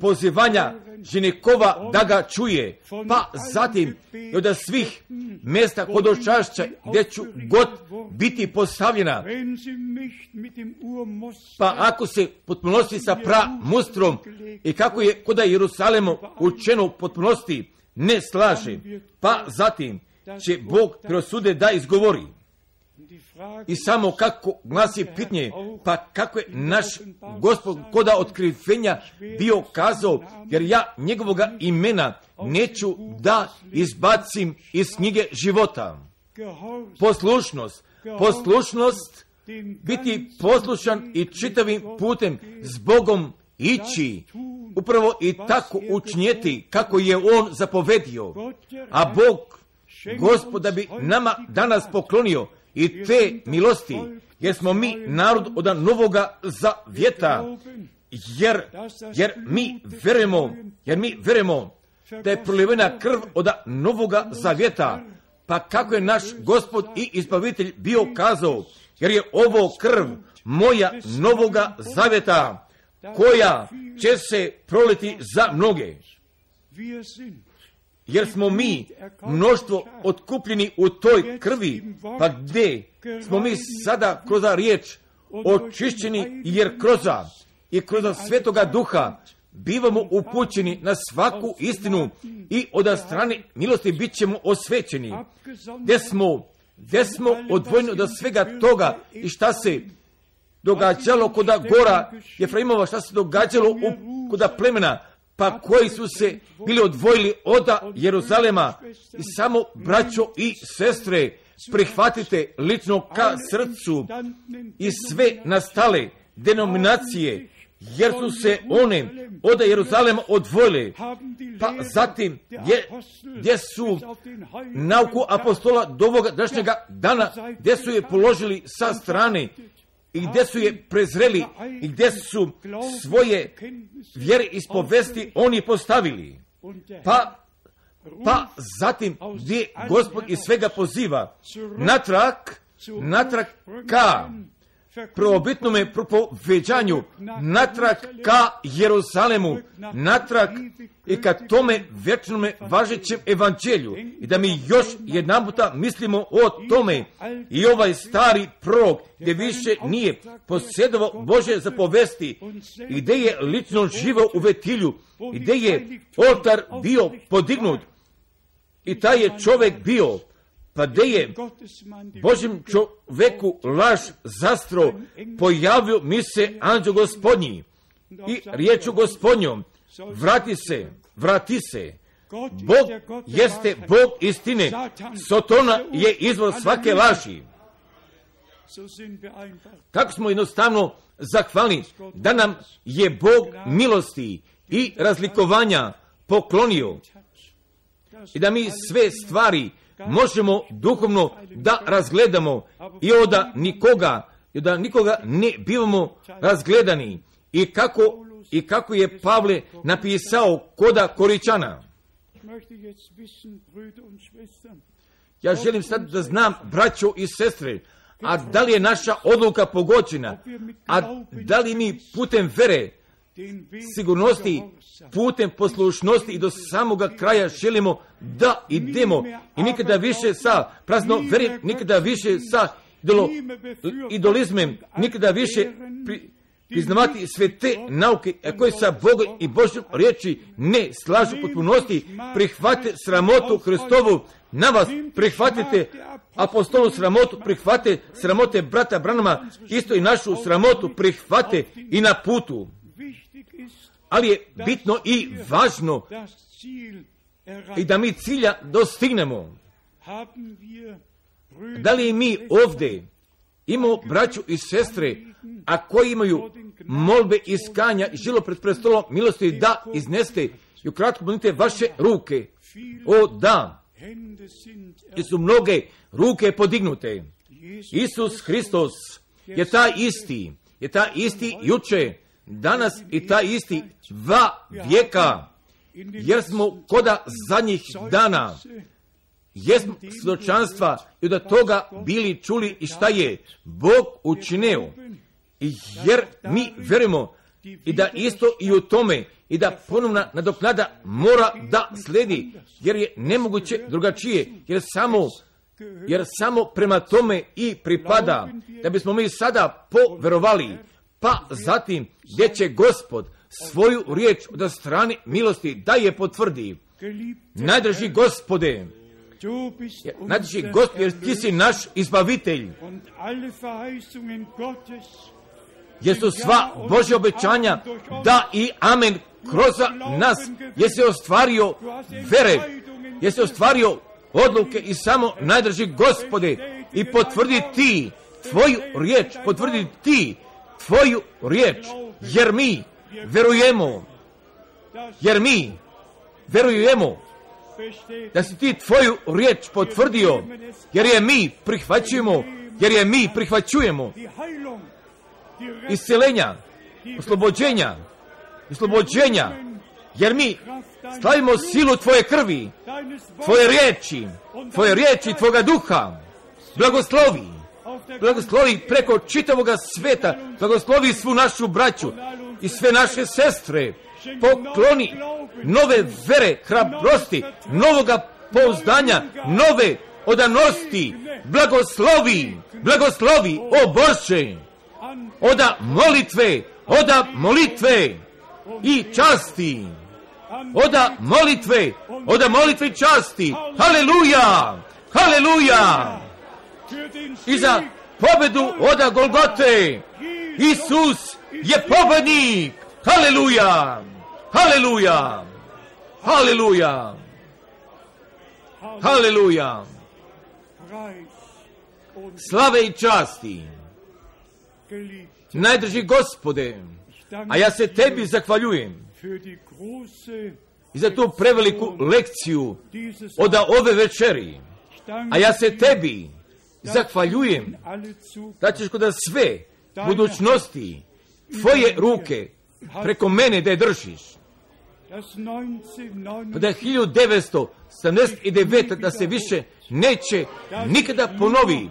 [SPEAKER 1] pozivanja ženikova da ga čuje, pa zatim i od svih mjesta hodočašća gdje ću god biti postavljena, pa ako se potpunosti sa mustrom i kako je koda Jerusalemu učeno potpunosti ne slaže, pa zatim će Bog prosude da izgovori. I samo kako glasi pitanje, pa kako je naš Gospod koda otkrivenja bio kazao, jer ja njegovoga imena neću da izbacim iz knjige života. Poslušnost, biti poslušan i čitavim putem s Bogom ići, upravo i tako učinjeti kako je On zapovedio, a Bog, Gospod, da bi nama danas poklonio i te milosti, jer smo mi narod od novoga zavjeta, jer mi verujemo da je prolivena krv od novoga zavjeta, pa kako je naš Gospod i Izbavitelj bio kazao, jer je ovo krv moja novoga zavjeta, koja će se proliti za mnoge. Jer smo mi mnoštvo otkupljeni u toj krvi, pa gdje smo mi sada kroz riječ očišćeni, jer kroz Svetoga Duha bivamo upućeni na svaku istinu i od strane milosti bit ćemo osvećeni. Gdje smo odvojeni od svega toga i šta se događalo koda gora Jefraimova, šta se događalo koda plemena, pa koji su se bili odvojili od Jeruzalema. I samo, braćo i sestre, prihvatite lično ka srcu i sve nastale denominacije, jer su se one od Jeruzalema odvojile, pa zatim gdje su nauku apostola do ovoga današnjega dana, gdje su je položili sa strane i gdje su je prezreli i gdje su svoje vjere ispovesti oni postavili. Pa zatim gdje Gospod iz svega poziva natrag ka prvobitnome propoveđanju, natrag ka Jeruzalemu, natrag i ka tome vječnome važećem evanđelju, i da mi još jedan puta mislimo o tome. I ovaj stari prorok gdje više nije posjedovao Božje zapovesti i gdje je lično živao u Vetilju i gdje je oltar bio podignut i taj je čovjek bio, pa gdje je Božjem čovjeku laž zastro, pojavio mi se anđeo Gospodnji i riječu Gospodnjom, vrati se. Bog jeste Bog istine. Sotona je izvor svake laži. Tako smo jednostavno zahvalni da nam je Bog milosti i razlikovanja poklonio i da mi sve stvari možemo duhovno da razgledamo i da nikoga ne bivamo razgledani. I kako je Pavle napisao koda Koričana. Ja želim sad da znam, braćo i sestre, a da li je naša odluka pogođena, a da li mi putem vere, sigurnosti, putem poslušnosti i do samoga kraja želimo da idemo i nikada više sa prazno vere, nikada više sa idolizmem, nikada više priznavati sve te nauke koje sa Bogom i Božjom riječi ne slažu potpunosti. Prihvatite sramotu Hristovu na vas, prihvatite apostolnu sramotu, prihvate sramote brata Branama, isto i našu sramotu prihvate i na putu. Ali je bitno i važno i da mi cilja dostignemo. Da li mi ovdje imamo braću i sestre, a koji imaju molbe iskanja i žilo pred prestolom milosti da izneste i ukratko budite vaše ruke. O da, jer su mnoge ruke podignute. Isus Hristos je taj isti juče, danas i taj isti va vijeka, jer smo koda zadnjih dana, jesmo svjedočanstva i da toga bili čuli i šta je Bog učinio. Jer mi verujemo i da isto i u tome i da ponovna nadoknada mora da sledi, jer je nemoguće drugačije, jer samo prema tome i pripada, da bismo mi sada poverovali, pa zatim gdje će Gospod svoju riječ od strane milosti da je potvrdi. Najdraži Gospode, jer ti si naš izbavitelj, jer su sva Božja obećanja da i amen kroz nas, jer se ostvario vere, jer se ostvario odluke i samo najdraži Gospode i potvrdi ti tvoju riječ, jer mi verujemo da si ti tvoju riječ potvrdio, jer je mi prihvaćujemo isceljenja, oslobođenja, jer mi slavimo silu tvoje krvi, tvoje riječi, tvoga duha. Blagoslovi preko čitavoga sveta, blagoslovi svu našu braću i sve naše sestre, pokloni nove vere, hrabrosti, novoga pouzdanja, nove odanosti, blagoslovi, o Bože, oda molitve i časti, oda molitve i časti, haleluja, i za pobedu oda Golgote, Isus je pobednik, haleluja, slave i časti, najdraži Gospode, a ja se tebi zahvaljujem i za tu preveliku lekciju od ove večeri, a ja se tebi zahvaljujem da ćeš kod sve budućnosti tvoje ruke preko mene da je držiš. Da 1979 da se više neće nikada ponovi,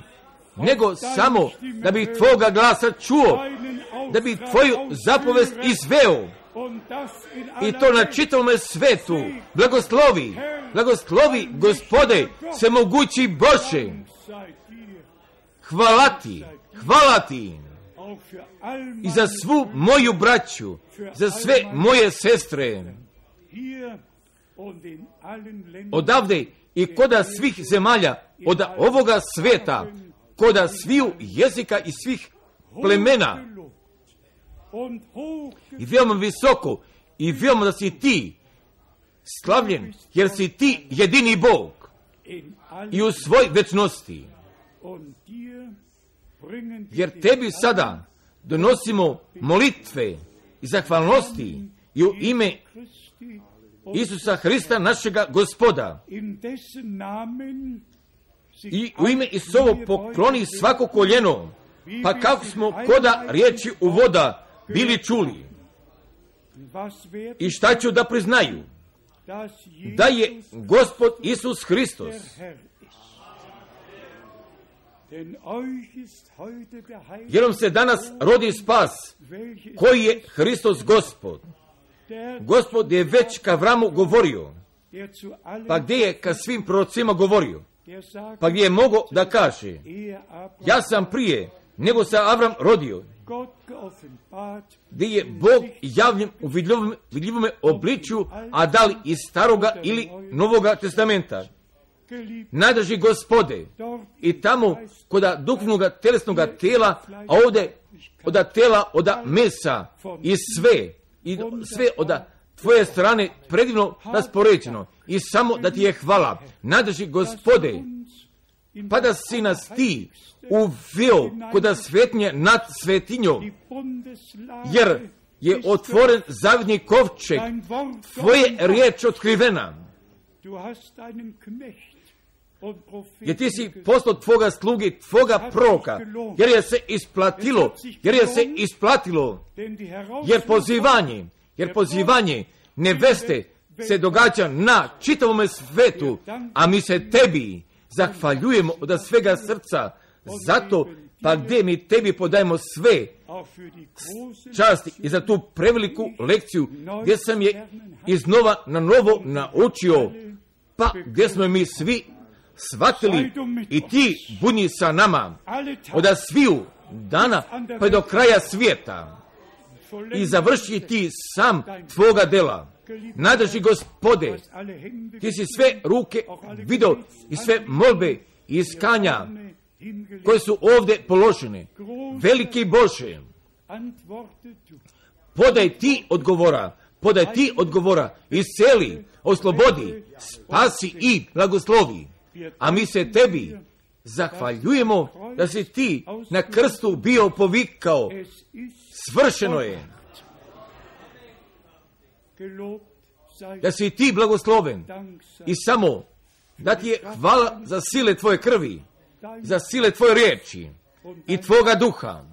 [SPEAKER 1] nego samo da bi tvoga glasa čuo, da bi tvoju zapovest izveo i to na čitavome svetu. Blagoslovi Gospode, svemogući Bože, hvala ti i za svu moju braću, za sve moje sestre odavde i koda svih zemalja, od ovoga sveta, koda sviju jezika i svih plemena, i veoma visoko i vjerujemo da si ti slavljen, jer si ti jedini Bog i u svoj večnosti. Jer tebi sada donosimo molitve i zahvalnosti i u ime Isusa Hrista, našega Gospoda. I u ime Isusovo pokloni svako koljeno, pa kako smo koda riječi u voda bili čuli. I šta ću da priznaju? Da je Gospod Isus Hristos. Jer vam se danas rodi spas, koji je Hristos Gospod. Gospod je već ka Avramu govorio, pa gdje je ka svim prorocima govorio, pa gdje je mogao da kaže, ja sam prije nego se Avram rodio, gdje je Bog javljen u vidljivome obličju, a da li iz Staroga ili Novoga testamenta. Najdraži Gospode, i tamo koda duhovnoga telesnoga tela, a ovdje oda tela, oda mesa i sve oda tvoje strane predivno raspoređeno i samo da ti je hvala. Najdraži Gospode, pa da si nas ti uveo koda svetnje nad svetinjom, jer je otvoren zavidni kovčeg, tvoje riječ otkrivena. Jer ti si poslao tvoga slugi, tvoga proroka, jer je se isplatilo, jer pozivanje neveste se događa na čitavome svetu, a mi se tebi zahvaljujemo od svega srca, zato pa gdje mi tebi podajemo sve časti i za tu preveliku lekciju, gdje sam je iznova na novo naučio, pa gdje smo mi svi shvatili i ti budi sa nama od sviju dana pa do kraja svijeta i završi ti sam tvoga dela. Najdraži Gospode, ti si sve ruke vidio i sve molbe i iskanja koje su ovdje položene. Veliki Bože, podaj ti odgovora, isceli, oslobodi, spasi i blagoslovi. A mi se tebi zahvaljujemo da si ti na krstu bio povikao, svršeno je. Da si ti blagosloven i samo da ti je hvala za sile tvoje krvi, za sile tvoje riječi i tvoga duha.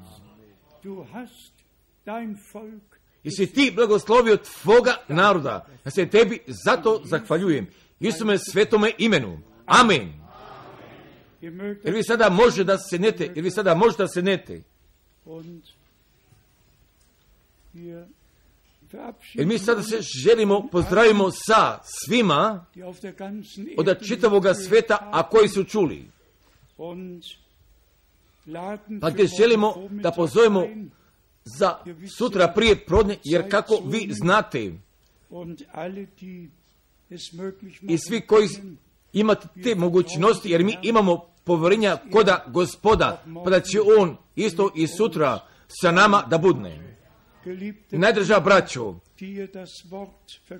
[SPEAKER 1] I si ti blagoslovio tvoga naroda. Ja se tebi zato zahvaljujem. Isume svetome imenu. Amen. Jer vi sada možete da sednete. Jer mi sada se želimo, pozdravimo sa svima od čitavoga sveta, a koji su čuli. Pa gdje želimo da pozovemo za sutra prije prodne, jer kako vi znate, i svi koji imate te mogućnosti, jer mi imamo povjerenja koda Gospoda, pa da će On isto i sutra sa nama da budne. Najdraža braćo,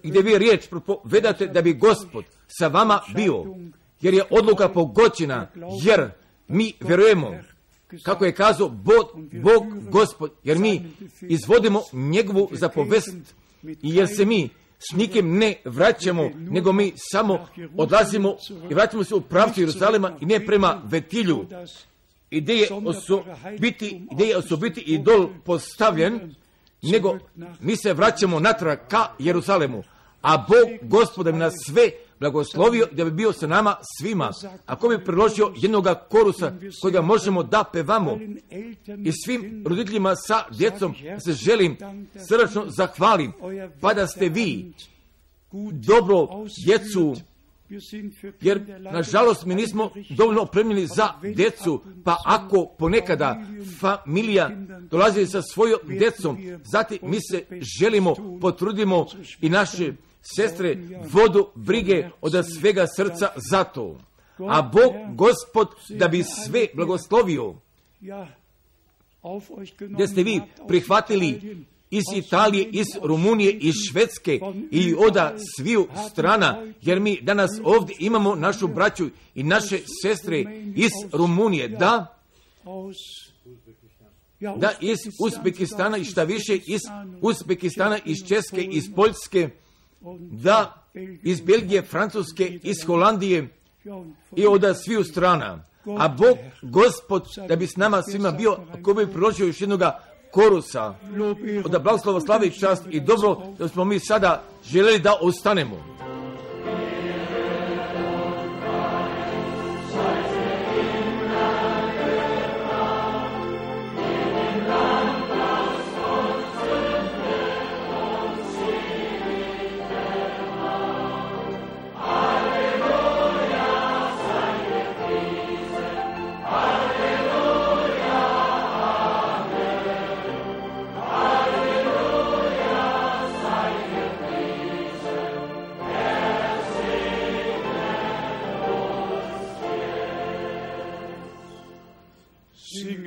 [SPEAKER 1] gdje vi riječ propovedate da bi Gospod sa vama bio, jer je odluka pogođena, jer mi vjerujemo, kako je kazao Bog Gospod, jer mi izvodimo njegovu zapovest i jer se mi s nikim ne vraćamo, nego mi samo odlazimo i vraćamo se u pravcu Jeruzalema i ne prema Vetilju, gdje je osobiti idol postavljen, nego mi se vraćamo natrag ka Jeruzalemu, a Bog Gospoda bi nas sve blagoslovio da bi bio sa nama svima. Ako bi priložio jednoga korusa kojega možemo da pevamo i svim roditeljima sa djecom se želim srdačno zahvalim, pa da ste vi dobro djecu, jer nažalost mi nismo dovoljno opremljeni za djecu, pa ako ponekada familija dolazi sa svojom djecom, zatim mi se želimo, potrudimo i naše sestre vodu brige od svega srca za to. A Bog Gospod da bi sve blagoslovio, gdje ste vi prihvatili iz Italije, iz Rumunije, iz Švedske i od sviju strana, jer mi danas ovdje imamo našu braću i naše sestre iz Rumunije, da iz Uzbekistana i šta više iz Uzbekistana, iz Česke, iz Poljske, da iz Belgije, Francuske, iz Holandije i od sviju strana. A Bog, Gospod, da bi s nama svima bio, ako bi priložio još jednoga korusa, od blagoslova, slave i čast i dobro, da smo mi sada željeli da ostanemo.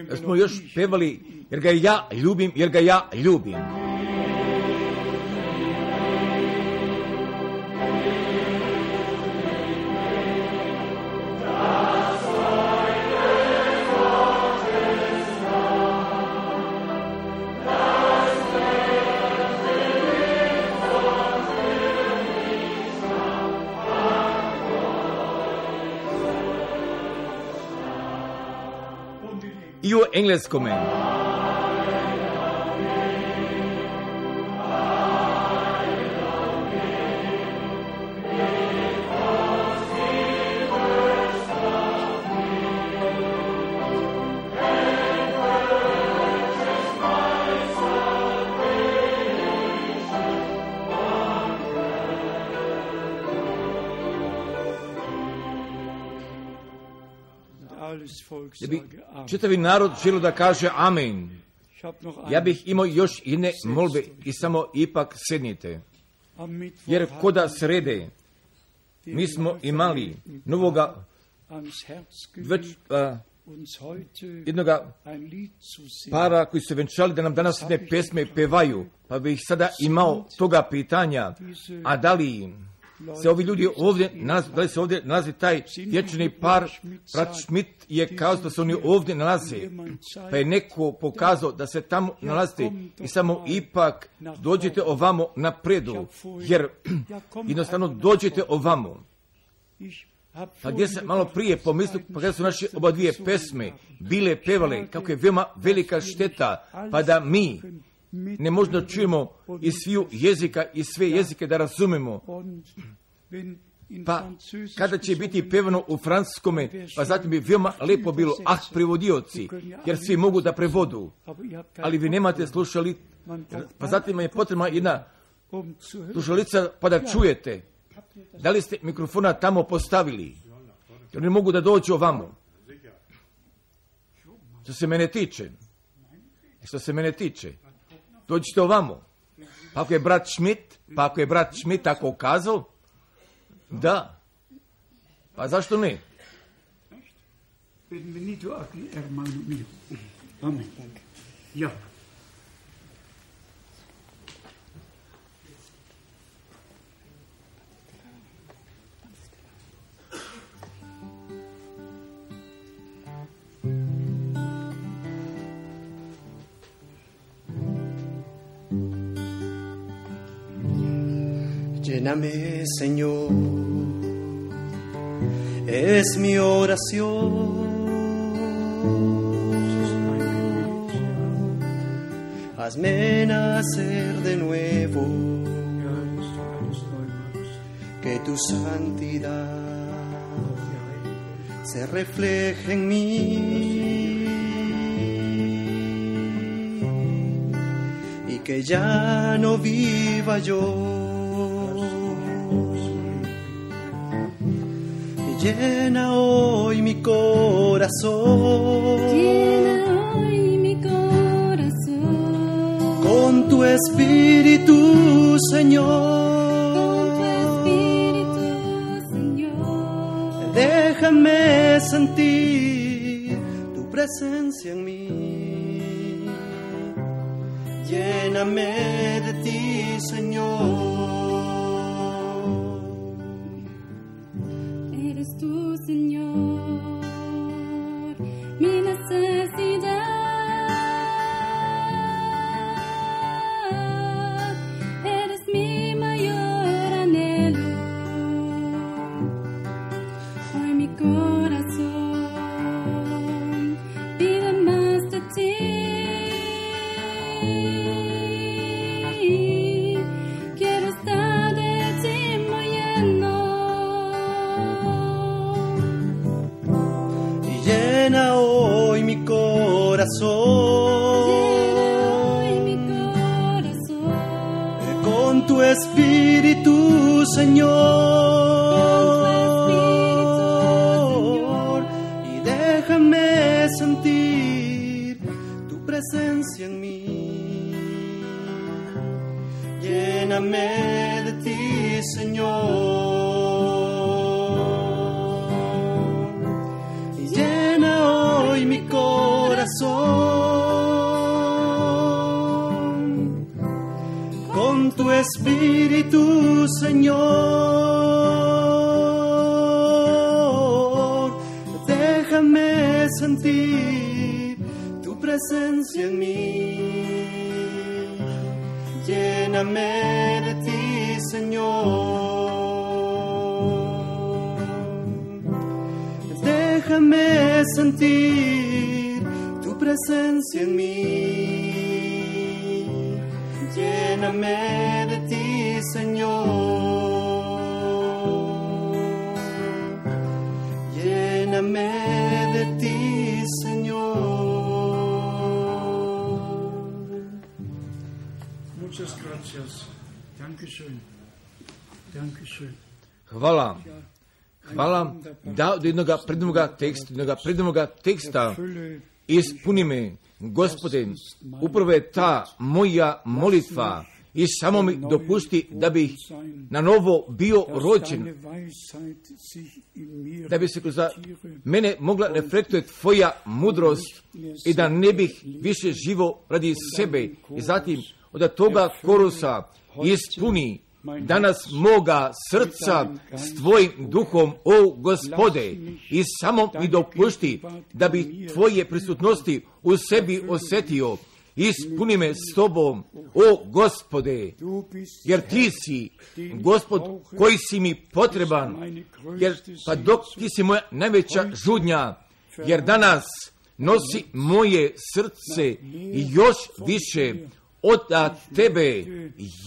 [SPEAKER 1] Da smo još pevali, jer ga ja ljubim, jer ga ja ljubim. I u engleskome. Da bi čitavi narod želio da kaže amen. Ja bih imao još jedne molbe i samo ipak sednite. Jer koda srede mi smo imali novoga jednoga para koji su venčali da nam danas jedne pesme pevaju. Pa bih sada imao toga pitanja, a da li se ovi ljudi ovdje, da li se ovdje nalazi taj vječni par, brat Schmidt je kazao da se oni ovdje nalaze, pa je neko pokazao da se tamo nalazite i samo ipak dođete ovamo napredu, jer jednostavno dođete ovamo. Pa gdje sam malo prije pomislio, pa kada su naše oba dvije pesme bile pevale, kako je veoma velika šteta, pa da mi ne možda čujemo iz sviju jezika i sve jezike da razumemo. Pa kada će biti pevano u francuskome, pa zatim bi veoma lepo bilo, prevodioci, jer svi mogu da prevodu, ali vi nemate slušali, pa zatim je potrebna jedna slušalica pa da čujete. Da li ste mikrofona tamo postavili? Jer ne mogu da dođu ovamo. Što se mene tiče, dođite ovamo. Pa ako je brat Schmidt tako kazao, da, pa zašto ne?
[SPEAKER 3] Amen. Ja.
[SPEAKER 4] Lléname, Señor, es mi oración. Hazme nacer de nuevo, que tu santidad se refleje en mí y que ya no viva yo. Llena hoy mi corazón, con tu Espíritu, Señor. Déjame sentir tu presencia en mí. lléname de ti, Señor.
[SPEAKER 5] Eres tú, Señor, mi necesidad. Eres mi mayor anhelo. Hoy mi corazón pide más de ti. Quiero estar de ti muy lleno.
[SPEAKER 4] Y llena hoy mi corazón.
[SPEAKER 5] Llena hoy mi corazón
[SPEAKER 4] Con tu Espíritu, Señor. Y déjame sentir tu presencia en mí. Lléname de ti, Señor. Y llena hoy mi corazón con tu Espíritu, Señor. Déjame sentir tu presencia en mí. Lléname de ti, Señor. Déjame sentir tu presencia en mí. Lléname de ti, Señor. Lléname de ti, Señor.
[SPEAKER 3] Muchas gracias. Dankeschön. Dankeschön.
[SPEAKER 1] Hvala. Hvala da od jednoga prednoga teksta ispuni me, Gospode, upravo je ta moja molitva i samo mi dopusti da bih na novo bio rođen, da bi se kroz mene mogla reflektovati tvoja mudrost i da ne bih više živo radi sebe. I zatim od toga korusa ispuni danas moga srca s tvojim duhom, o Gospode, i samo mi dopušti da bi tvoje prisutnosti u sebi osjetio. Ispuni me s tobom, o Gospode, jer ti si Gospod koji si mi potreban, jer pa dok ti si moja najveća žudnja, jer danas nosi moje srce i još više od tebe,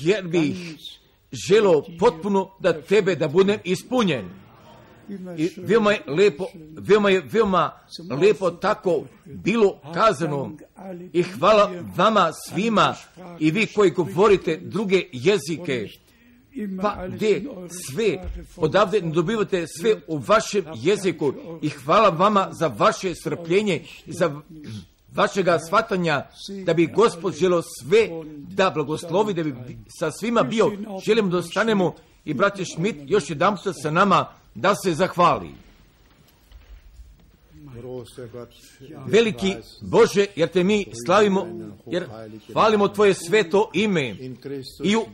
[SPEAKER 1] jer bih želo potpuno da tebe da budem ispunjen. I veoma lepo tako bilo kazano. I hvala vama svima i vi koji govorite druge jezike, pa gdje sve odavde dobivate sve u vašem jeziku. I hvala vama za vaše strpljenje i za vašega shvatanja, da bi Gospod želio sve da blagoslovi, da bi sa svima bio. Želimo da ostanemo i braće Schmidt još jedan put sa nama da se zahvali. Veliki Bože, jer te mi slavimo, jer hvalimo tvoje sveto ime i u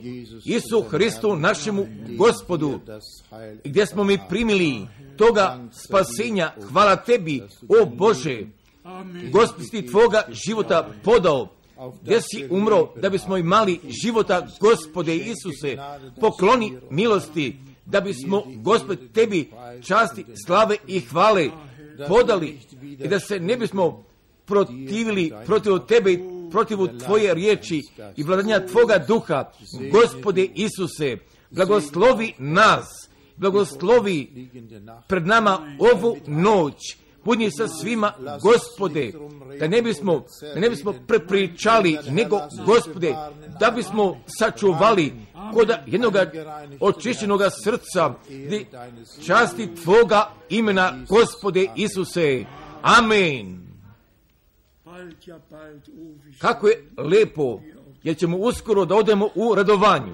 [SPEAKER 1] Isu Hristu našemu Gospodu, gdje smo mi primili toga spasenja. Hvala tebi, o Bože, Gospod si tvoga života podao, gdje si umro da bismo imali života. Gospode Isuse, pokloni milosti da bismo, Gospod, tebi časti, slave i hvale podali i da se ne bismo protivili protiv tebe i protiv tvoje riječi i vladanja tvoga duha. Gospode Isuse, blagoslovi nas, blagoslovi pred nama ovu noć. Budni sa svima, Gospode, da ne bismo prepričali, nego, Gospode, da bismo sačuvali kod jednog očišćenoga srca časti tvoga imena, Gospode Isuse. Amen. Kako je lepo, jer ćemo uskoro da odemo u radovanju.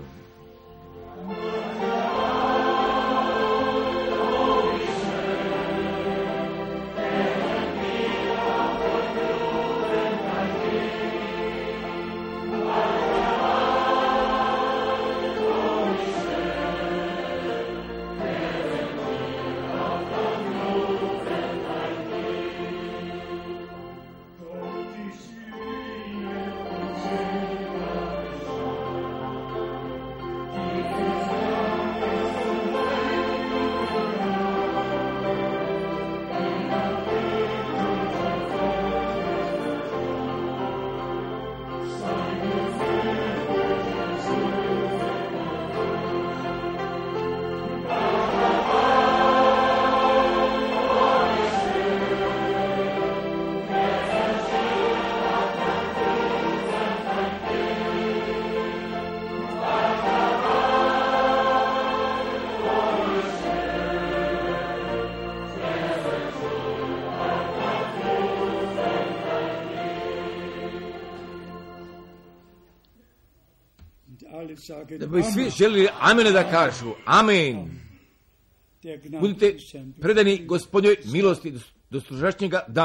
[SPEAKER 1] Da bi svi želili amene da kažu. Amen. Budite predani Gospodnjoj milosti do sutrašnjega dana.